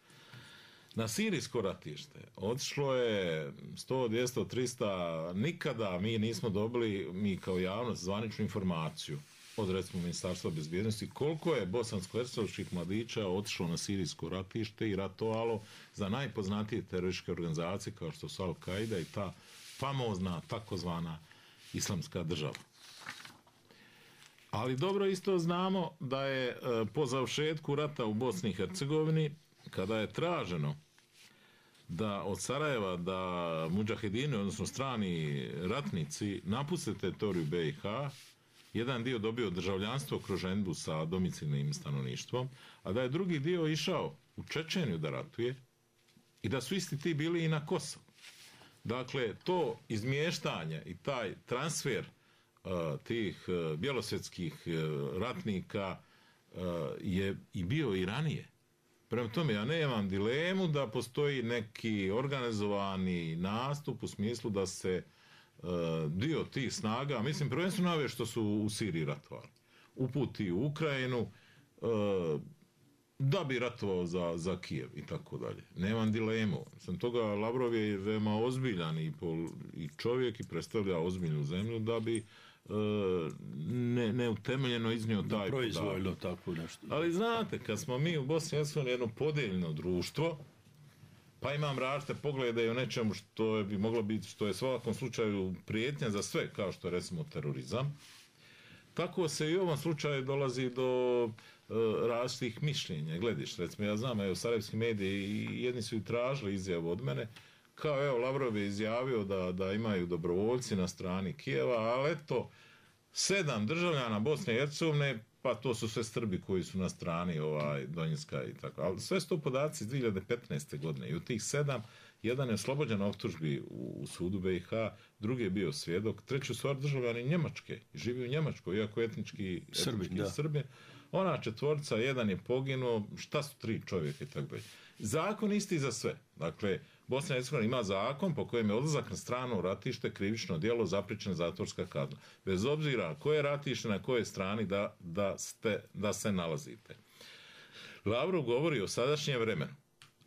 Na sirijsko ratište otišlo je sto, dvjesto, tristo, nikada mi nismo dobili, mi kao javnost, zvaničnu informaciju od recimo Ministarstva bezbjednosti koliko je bosansko-hercegovačkih mladića otišlo na sirijsko ratište i ratovalo za najpoznatije terorističke organizacije kao što su Al-Qaida i ta famozna takozvana islamska država. Ali dobro isto znamo da je po završetku rata u Bosni i Hercegovini, kada je traženo da od Sarajeva da mudžahedini, odnosno strani ratnici, napuste teritoriju be i ha, jedan dio dobio državljanstvo kroz ženidbu sa domicilnim stanovništvom, a da je drugi dio išao u Čečeniju da ratuje i da su isti ti bili i na Kosovu. Dakle, to izmještanje i taj transfer uh, tih uh, bjelosvjetskih uh, ratnika uh, je i bio i ranije. Prema tome, ja nemam dilemu da postoji neki organizovani nastup u smislu da se uh, dio tih snaga, mislim prvenstveno ove što su u Siriji ratovali, uputi u Ukrajinu uh, da bi ratovao za, za Kijev i tako dalje. Nemam dilemu. Sam toga Lavrov je veoma ozbiljan i, pol, i čovjek i predstavlja ozbiljnu zemlju da bi ne, neutemeljeno iznio taj proizvoljno tako nešto. Ali znate, kad smo mi u Bosni i Hercegovini jedno podijeljeno društvo, pa imam različite poglede i o nečemu što bi moglo biti, što je u svakom slučaju prijetnja za sve, kao što je recimo terorizam, tako se i u ovom slučaju dolazi do uh, različitih mišljenja. Glediš, recimo, ja znam, evo, sarajevski mediji i jedni su i tražili izjavu od mene, kao evo Lavrov je izjavio da, da imaju dobrovoljci na strani Kijeva, ali eto, sedam državljana Bosne i Hercegovine, pa to su sve Srbi koji su na strani ovaj, Donjecka i tako. Ali sve su to podaci iz dvije hiljade petnaeste. godine i u tih sedam, jedan je oslobođen optužbi u, u sudu be i ha, drugi je bio svjedok, treći stvar državljani Njemačke, živi u Njemačkoj, iako etnički, Srbi, etnički Srbi. Ona četvorca, jedan je poginuo, šta su tri čovjeka i tako dalje. Zakon isti za sve. Dakle, Bosna i Hercegovina ima zakon po kojem je odlazak na stranu ratište krivično djelo zapriječena zatvorska kazna. Bez obzira koje ratište na kojoj strani da, da, ste, da se nalazite. Lavrov govori o sadašnjem vremenu.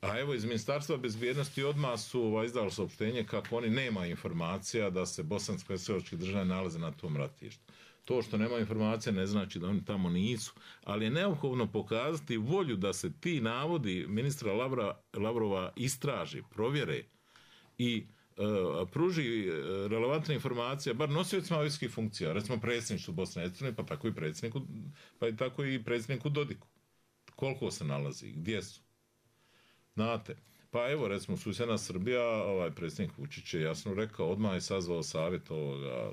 A evo iz Ministarstva bezbjednosti odmah su ovaj, izdali saopštenje kako oni nema informacija da se bosansko-hercegovački državljani nalaze na tom ratištu. To što nema informacija ne znači da oni tamo nisu, ali je neophodno pokazati volju da se ti navodi ministra Lavra, Lavrova istraži, provjere i e, pruži relevantne informacije, bar nosiocima vojskih funkcija, recimo predsjedništvu Bosne i Hercegovine, pa tako i predsjedniku, pa i tako i predsjedniku Dodiku. Koliko se nalazi, gdje su? Znate, pa evo recimo susjedna Srbija, ovaj predsjednik Vučić je jasno rekao, odmah je sazvao savjet ovoga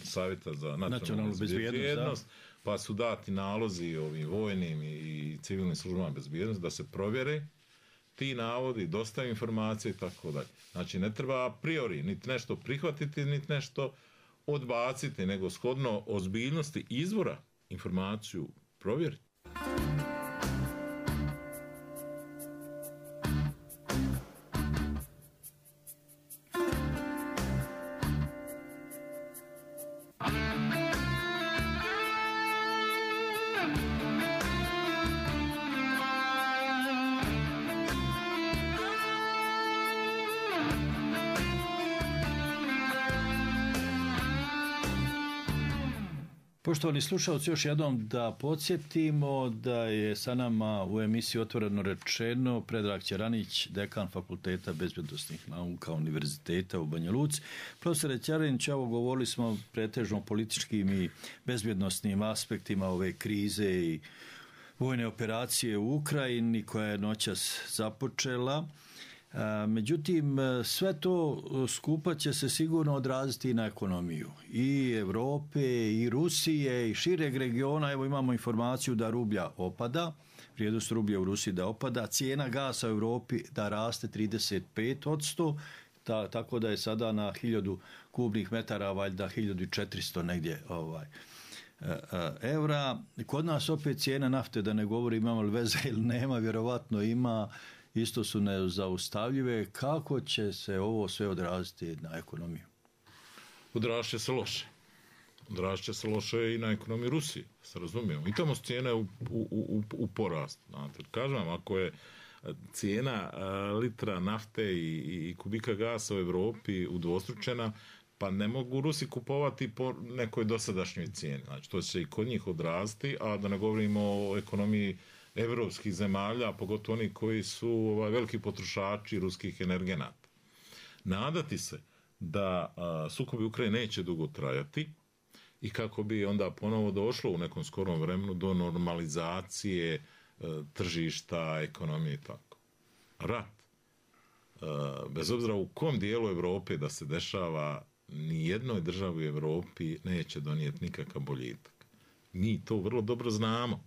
savjeta za nacionalnu bezbjednost, pa su dati nalozi ovim vojnim i civilnim službama bezbjednosti da se provjere ti navodi, dostaju informacije i tako dalje. Znači ne treba a priori niti nešto prihvatiti, niti nešto odbaciti, nego shodno ozbiljnosti izvora informaciju provjeriti. Poštovani slušalci, još jednom da podsjetimo da je sa nama u emisiji Otvoreno rečeno Predrag Ćeranić, dekan Fakulteta bezbjednosnih nauka Univerziteta u Banja Luci. Profesore Ćeranić, evo govorili smo pretežno političkim i bezbjednosnim aspektima ove krize i vojne operacije u Ukrajini koja je noćas započela. Međutim, sve to skupa će se sigurno odraziti i na ekonomiju i Evrope, i Rusije, i šireg regiona. Evo imamo informaciju da rublja opada, vrijednost rublja u Rusiji da opada, cijena gasa u Evropi da raste trideset pet posto, ta, tako da je sada na hiljadu kubnih metara, valjda hiljadu četiristo negdje ovaj, evra. Kod nas opet cijena nafte, da ne govori imamo li veze ili nema, vjerovatno ima, isto su nezaustavljive. Kako će se ovo sve odraziti na ekonomiju? Odrazit će se loše. Odrazit će se loše i na ekonomiju Rusije, se razumijemo. I tamo su cijene u, u, u, u porastu. Znate, kažem vam, ako je cijena litra nafte i, i kubika gasa u Evropi udvostručena, pa ne mogu Rusi kupovati po nekoj dosadašnjoj cijeni. Znači, to će i kod njih odraziti, a da ne govorimo o ekonomiji evropskih zemalja, pogotovo oni koji su ovaj, veliki potrošači ruskih energenata. Nadati se da a, sukobi Ukrajine neće dugo trajati i kako bi onda ponovo došlo u nekom skorom vremenu do normalizacije a, tržišta, ekonomije i tako. Rat, a, bez obzira u kom dijelu Evrope da se dešava, ni jednoj državi u Evropi neće donijeti nikakav boljitak. Mi to vrlo dobro znamo.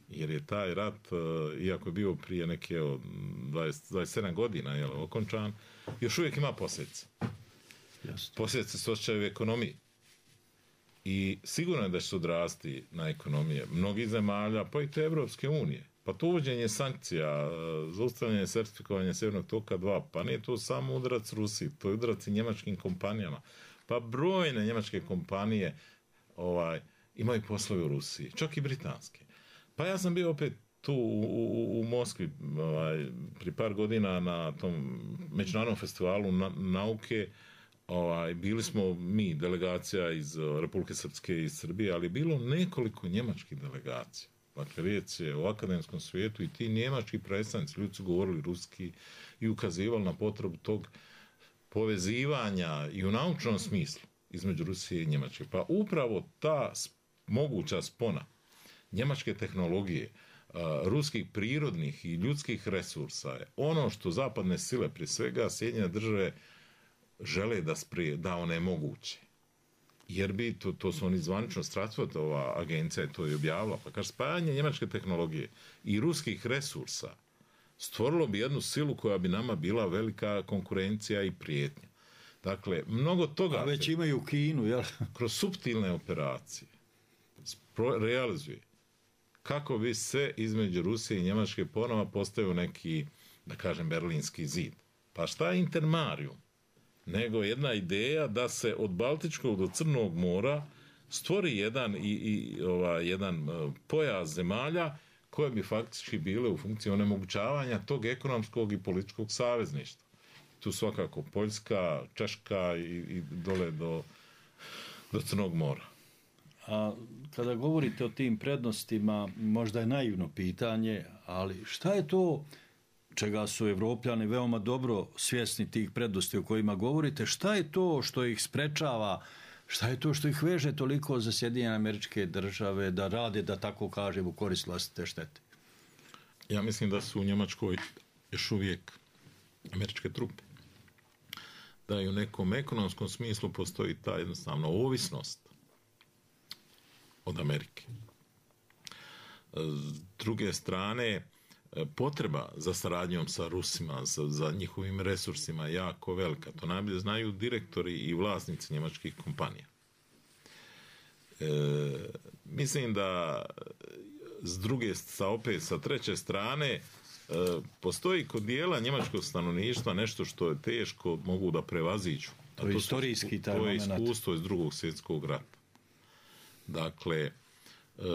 Jer je taj rat, iako je bio prije neke dvadeset, dvadeset sedam godina jel, okončan, još uvijek ima posljedice. Posljedice se osjećaju u ekonomiji. I sigurno je da će se odrasti na ekonomije mnogih zemalja, pa i te Evropske unije. Pa to uvođenje sankcija, zaustavljanje sertifikovanja Sjevernog toka dva, pa nije to samo udarac Rusiji, to je udarac i njemačkim kompanijama. Pa brojne njemačke kompanije ovaj, imaju poslove u Rusiji, čak i britanske. Pa ja sam bio opet tu u, u, u Moskvi ovaj, pri par godina na tom međunarodnom festivalu na, nauke. Ovaj, bili smo mi, delegacija iz Republike Srpske i iz Srbije, ali bilo nekoliko njemačkih delegacija. Dakle, riječ je o akademskom svijetu i ti njemački predstavnici, ljudi su govorili ruski i ukazivali na potrebu tog povezivanja i u naučnom smislu između Rusije i Njemačke. Pa upravo ta moguća spona njemačke tehnologije, ruskih prirodnih i ljudskih resursa je ono što zapadne sile, prije svega Sjedinjene države, žele da, sprije, da one moguće. Jer bi, to, to su oni zvanično Stratford, ova agencija je to i objavila, pa kaže, spajanje njemačke tehnologije i ruskih resursa stvorilo bi jednu silu koja bi nama bila velika konkurencija i prijetnja. Dakle, mnogo toga... A već imaju Kinu, jel? Kroz suptilne operacije realizuje kako bi se između Rusije i Njemačke ponovo postavio neki, da kažem, berlinski zid. Pa šta je intermarium? Nego jedna ideja da se od Baltičkog do Crnog mora stvori jedan, i, i, ovaj, jedan pojas zemalja koje bi faktički bile u funkciji onemogućavanja tog ekonomskog i političkog savezništva. Tu svakako Poljska, Češka i, i dole do, do Crnog mora. A kada govorite o tim prednostima, možda je naivno pitanje, ali šta je to čega su Evropljani veoma dobro svjesni tih prednosti o kojima govorite, šta je to što ih sprečava, šta je to što ih veže toliko za Sjedinjene Američke Države da rade, da tako kažem, u korist vlastite štete? Ja mislim da su u Njemačkoj još uvijek američke trupe. Da i u nekom ekonomskom smislu postoji ta jednostavno ovisnost od Amerike. S druge strane, potreba za saradnjom sa Rusima, za, za njihovim resursima je jako velika. To najbolje znaju direktori i vlasnici njemačkih kompanija. E, mislim da s druge, sa opet sa treće strane, e, postoji kod dijela njemačkog stanovništva nešto što je teško mogu da prevaziđu. To je to istorijski taj moment. To je iskustvo iz drugog svjetskog rata. Dakle, Uh,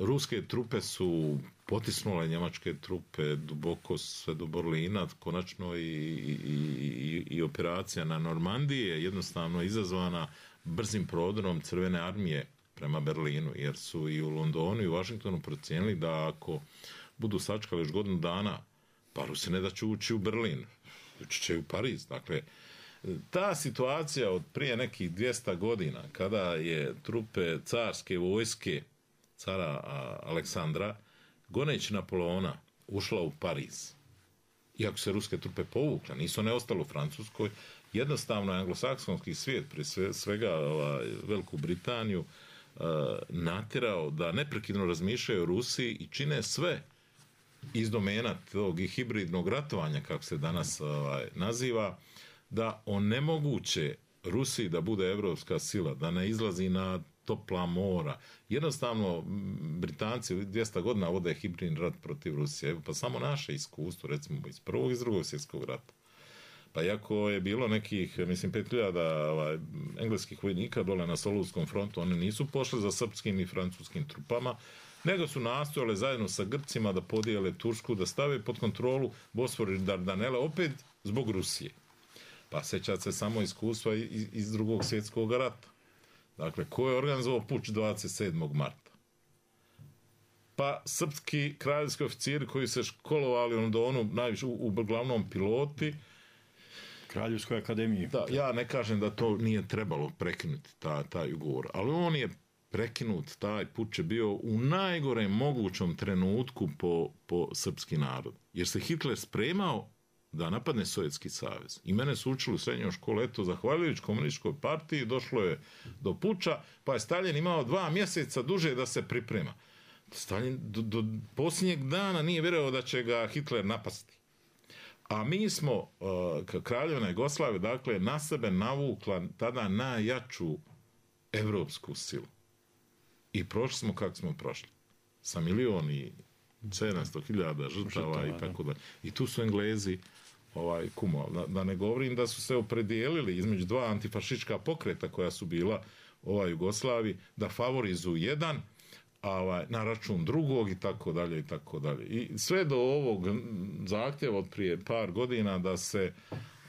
ruske trupe su potisnule njemačke trupe duboko sve do Berlina, konačno i, i, i, i operacija na Normandiji je jednostavno izazvana brzim prodorom Crvene armije prema Berlinu, jer su i u Londonu i u Washingtonu procijenili da ako budu sačkali još godinu dana, pa Rusi ne da će ući u Berlin, ući će u Pariz. Dakle, ta situacija od prije nekih dvjesto godina, kada je trupe carske vojske cara Aleksandra, goneći Napoleona, ušla u Pariz. Iako se ruske trupe povukle, nisu one ostale u Francuskoj, jednostavno anglosaksonski svijet, prije sve, svega ovaj, Veliku Britaniju, uh, natjerao da neprekidno razmišljaju o Rusiji i čine sve iz domena tog i hibridnog ratovanja, kako se danas ovaj, naziva, da onemoguće Rusiji da bude evropska sila, da ne izlazi na topla mora. Jednostavno, Britanci dvjesto godina vode hibridni rat protiv Rusije. Pa samo naše iskustvo, recimo iz prvog i iz drugog svjetskog rata. Pa iako je bilo nekih, mislim, pet hiljada ovaj, engleskih vojnika dole na Solunskom frontu, oni nisu pošli za srpskim i francuskim trupama, nego su nastojali zajedno sa Grcima da podijele Tursku, da stave pod kontrolu Bosfor i Dardanele, opet zbog Rusije. Pa sećate se samo iskustva iz, iz drugog svjetskog rata. Dakle, ko je organizovao puč dvadeset sedmog marta? Pa srpski kraljevski oficiri koji se školovali u Londonu, najviše u, u glavnom piloti. Kraljevskoj akademiji. Da, ja ne kažem da to nije trebalo prekinuti, ta, taj ugovor, ali on je prekinut, taj puč je bio u najgorem mogućom trenutku po, po srpski narod. Jer se Hitler spremao da napadne Sovjetski savez. I mene su učili u srednjoj školi, eto, zahvaljujući komunističkoj partiji, došlo je do puča, pa je Stalin imao dva mjeseca duže da se priprema. Stalin do, do posljednjeg dana nije vjerovao da će ga Hitler napasti. A mi smo, uh, kraljevina Jugoslavije, dakle, na sebe navukla tada najjaču evropsku silu. I prošli smo kako smo prošli. Sa milion i sedamsto hiljada žrtava i tako da. I tu su Englezi ovaj, kumo. Da, da ne govorim da su se opredijelili između dva antifašistička pokreta koja su bila ovaj Jugoslavi, da favorizuju jedan, a ovaj, na račun drugog i tako dalje i tako dalje. I sve do ovog zahtjeva od prije par godina da se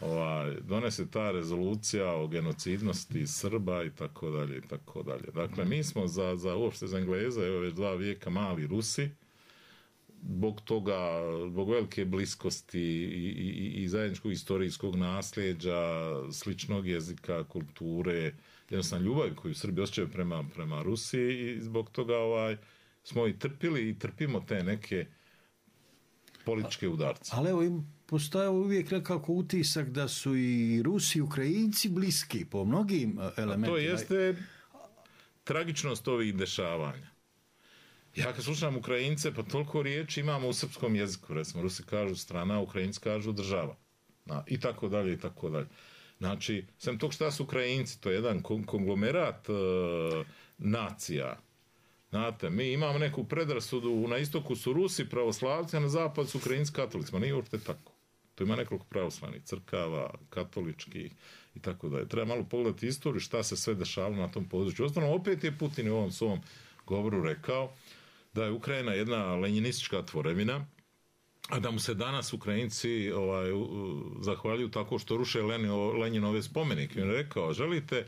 ovaj, donese ta rezolucija o genocidnosti Srba i tako dalje i tako dalje. Dakle, mi smo za, za uopšte za Engleze, evo već dva vijeka mali Rusi, zbog toga, zbog velike bliskosti i, i, i zajedničkog istorijskog nasljeđa, sličnog jezika, kulture, jednostavno ljubav koju Srbi osjećaju prema, prema Rusiji i zbog toga ovaj, smo i trpili i trpimo te neke političke udarce. Ali evo im postaje uvijek nekako utisak da su i Rusi i Ukrajinci bliski po mnogim elementima. A to jeste tragičnost ovih dešavanja. Ja kad slušam Ukrajince, pa toliko riječi imamo u srpskom jeziku. Recimo, Rusi kažu strana, Ukrajinci kažu država. Na, I tako dalje, i tako dalje. Znači, sem tog šta su Ukrajinci, to je jedan konglomerat e, nacija. Znate, mi imamo neku predrasudu, na istoku su Rusi pravoslavci, a na zapadu su Ukrajinci katolici. Ma nije uopšte tako. To ima nekoliko pravoslavnih crkava, katoličkih i tako dalje. Treba malo pogledati istoriju, šta se sve dešavalo na tom području. Ostalo, opet je Putin u ovom svom govoru rekao da je Ukrajina jedna lenjinistička tvorevina, a da mu se danas Ukrajinci ovaj, zahvaljuju tako što ruše Lenjinove spomenike. On je rekao, želite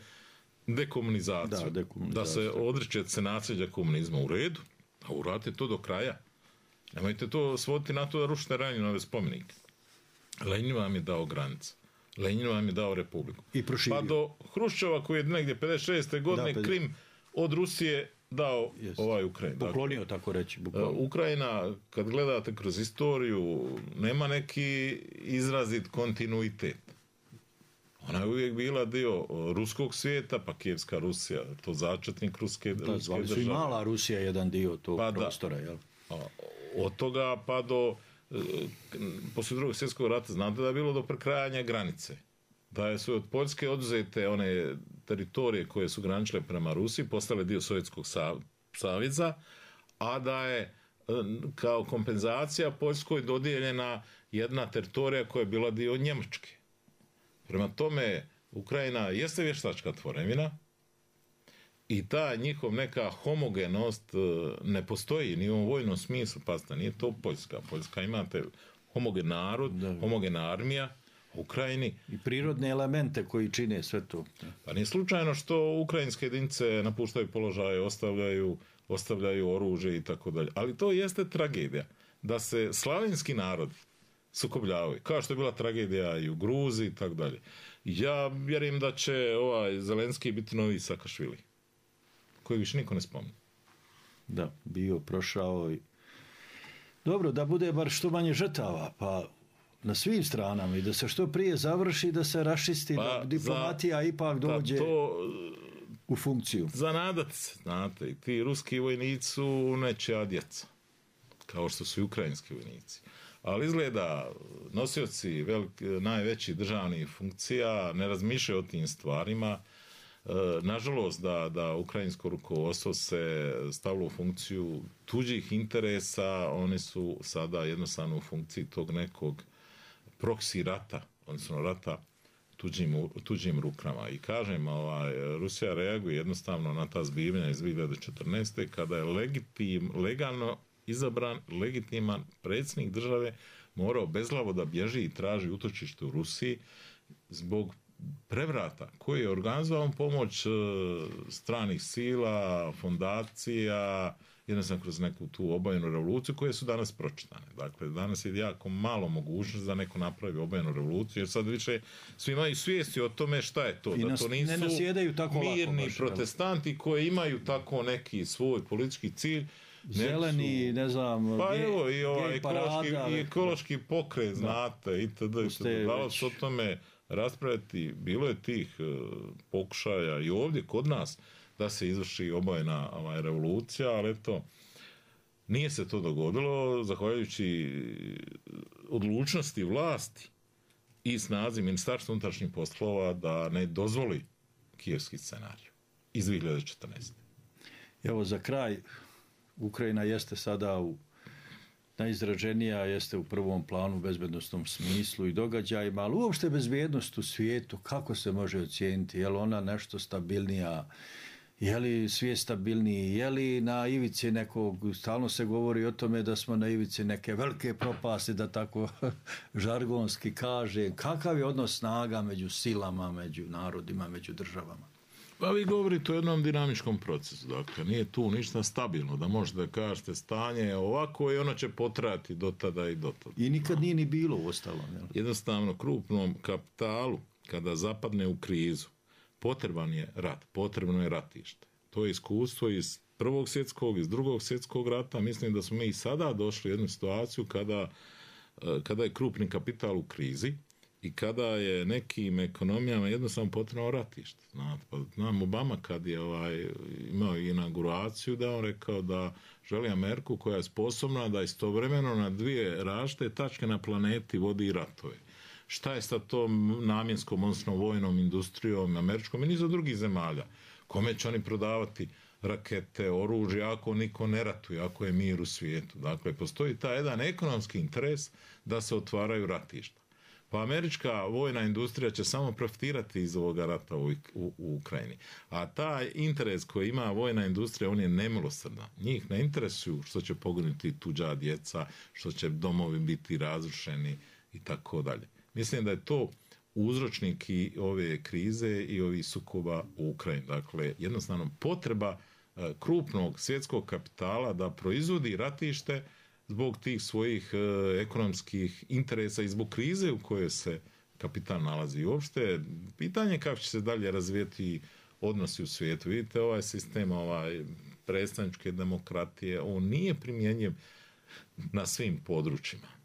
dekomunizaciju, da, dekomunizaciju. da se odričete se nasljeđa komunizma u redu, a uradite to do kraja. Nemojte to svoditi na to da rušite Lenjinove spomenike. Lenjin vam je dao granice. Lenjin vam je dao republiku. I proširio. Pa do Hruščova koji je negdje pedeset šeste godine da, Krim od Rusije dao Jest. ovaj Ukrajinu. Poklonio, dakle, tako reći. Bukvalno. Ukrajina, kad gledate kroz istoriju, nema neki izrazit kontinuitet. Ona je uvijek bila dio ruskog svijeta, pa Kijevska Rusija, to začetnik ruske, da, ruske države. Su i mala Rusija jedan dio tog pa prostora, jel? A, od toga pa do, poslije drugog svjetskog rata, znate da je bilo do prekrajanja granice. Da su od Poljske oduzete one teritorije koje su graničile prema Rusiji, postale dio Sovjetskog saveza, a da je kao kompenzacija Poljskoj dodijeljena jedna teritorija koja je bila dio Njemačke. Prema tome, Ukrajina jeste vještačka tvorevina i ta njihov neka homogenost ne postoji ni u vojnom smislu, pa nije to Poljska. Poljska imate homogen narod, da, homogena armija, Ukrajini. I prirodne elemente koji čine sve to. Pa nije slučajno što ukrajinske jedinice napuštaju položaje, ostavljaju, ostavljaju oružje i tako dalje. Ali to jeste tragedija. Da se slavenski narod sukobljavaju. Kao što je bila tragedija i u Gruziji i tako dalje. Ja vjerujem da će ovaj Zelenski biti novi Sakašvili. Koji više niko ne spomni. Da, bio, prošao i... Dobro, da bude bar što manje žrtava, pa na svim stranama i da se što prije završi, da se rašisti, pa, da diplomatija za, ipak dođe to, u funkciju. Za nadat se, znate, i ti ruski vojnici su nečija djeca, kao što su i ukrajinski vojnici. Ali izgleda, nosioci velik, najvećih državnih funkcija ne razmišljaju o tim stvarima. E, nažalost, da, da ukrajinsko rukovodstvo se stavilo u funkciju tuđih interesa, oni su sada jednostavno u funkciji tog nekog proksi rata, odnosno rata tuđim, tuđim rukama. I kažem, ovaj, Rusija reaguje jednostavno na ta zbivanja iz dvije hiljade četrnaeste. kada je legitim, legalno izabran, legitiman predsjednik države morao bezglavo da bježi i traži utočište u Rusiji zbog prevrata koji je organizovan pomoć stranih sila, fondacija, jednostavno kroz neku tu obojenu revoluciju koje su danas pročitane. Dakle, danas je jako malo mogućnost da neko napravi obojenu revoluciju, jer sad više svi imaju svijesti o tome šta je to. I da to nisu mirni lako, protestanti koji imaju tako neki svoj politički cilj. Zeleni, ne znam, pa gej, evo, i ovaj gej ekološki, parada, i ekološki pokret, znate, itd. Da se o tome raspraviti, bilo je tih uh, pokušaja i ovdje kod nas da se izvrši obojena ovaj, revolucija, ali eto, nije se to dogodilo, zahvaljujući odlučnosti vlasti i snazi Ministarstva unutrašnjih poslova da ne dozvoli kijevski scenarij iz dvije hiljade četrnaeste. Evo, za kraj, Ukrajina jeste sada u najizraženija, jeste u prvom planu u bezbednostnom smislu i događajima, ali uopšte bezbjednost u svijetu, kako se može ocijeniti? Je li ona nešto stabilnija? Je li svijet stabilniji? Je li na ivici nekog, stalno se govori o tome da smo na ivici neke velike propasti, da tako žargonski kaže. Kakav je odnos snaga među silama, među narodima, među državama? Pa vi govorite o jednom dinamičkom procesu, dakle, nije tu ništa stabilno, da možete da kažete stanje je ovako i ono će potrajati do tada i do tada. I nikad nije ni bilo u ostalom. Jel? Jednostavno, krupnom kapitalu, kada zapadne u krizu, potreban je rat, potrebno je ratište. To je iskustvo iz prvog svjetskog, iz drugog svjetskog rata. Mislim da smo mi i sada došli u jednu situaciju kada, kada je krupni kapital u krizi, i kada je nekim ekonomijama jednostavno potrebno ratište. Znate, pa znam Obama kad je ovaj, imao inauguraciju da on rekao da želi Ameriku koja je sposobna da istovremeno na dvije različite tačke na planeti vodi ratove. Šta je sa tom namjenskom, odnosno vojnom industrijom američkom i niza drugih zemalja? Kome će oni prodavati rakete, oružje, ako niko ne ratuje, ako je mir u svijetu? Dakle, postoji taj jedan ekonomski interes da se otvaraju ratišta. Pa američka vojna industrija će samo profitirati iz ovoga rata u, u, u Ukrajini. A taj interes koji ima vojna industrija, on je nemilosrdan. Njih ne interesuju što će poginuti tuđa djeca, što će domovi biti razrušeni i tako dalje. Mislim da je to uzročnik i ove krize i ovih sukoba u Ukrajini. Dakle, jednostavno potreba e, krupnog svjetskog kapitala da proizvodi ratište zbog tih svojih e, ekonomskih interesa i zbog krize u kojoj se kapital nalazi. I uopšte, pitanje kako će se dalje razvijeti odnosi u svijetu. Vidite, ovaj sistem ovaj, predstavničke demokratije, on nije primjenjiv na svim područjima.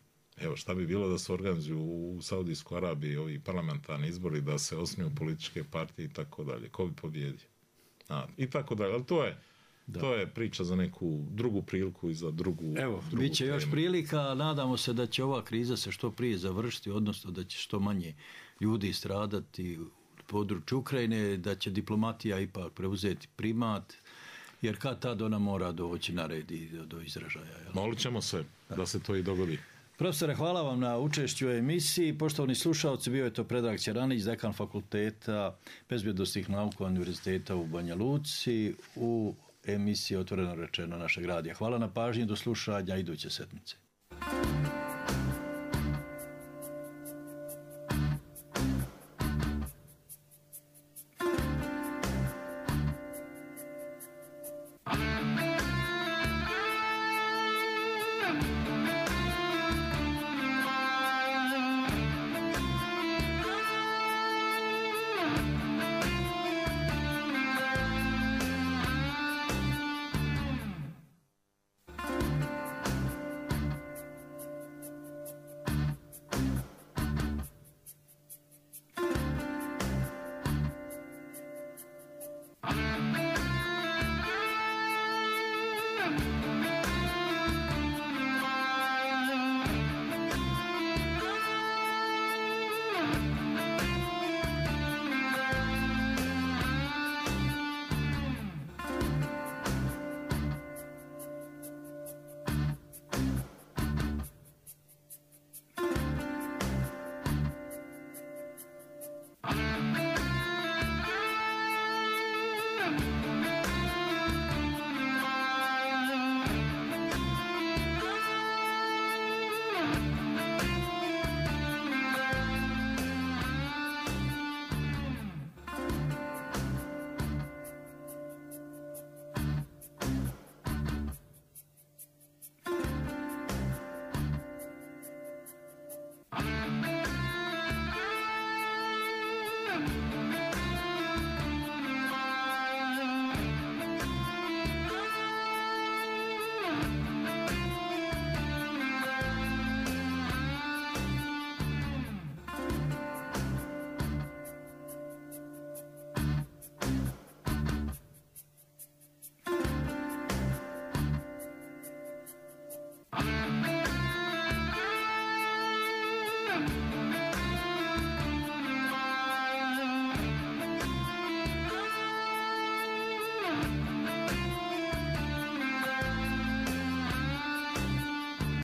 Evo, šta bi bilo da se organizuju u Saudijskoj Arabiji ovi parlamentarni izbori, da se osnuju političke partije i tako dalje. Ko bi pobjedio? A, I tako dalje. Ali to je, to je priča za neku drugu priliku i za drugu Evo, drugu bit će temu. još prilika. Nadamo se da će ova kriza se što prije završiti, odnosno da će što manje ljudi stradati u području Ukrajine, da će diplomatija ipak preuzeti primat, jer kad tad ona mora doći na red i do, do izražaja. Jel? Molit ćemo se da. da se to i dogodi. Profesore, hvala vam na učešću u emisiji. Poštovani slušalci, bio je to Predrag Ćeranić, dekan Fakulteta bezbjednosnih nauka Univerziteta u Banja Luci u emisiji Otvoreno rečeno našeg radija. Hvala na pažnji, do slušanja iduće sedmice.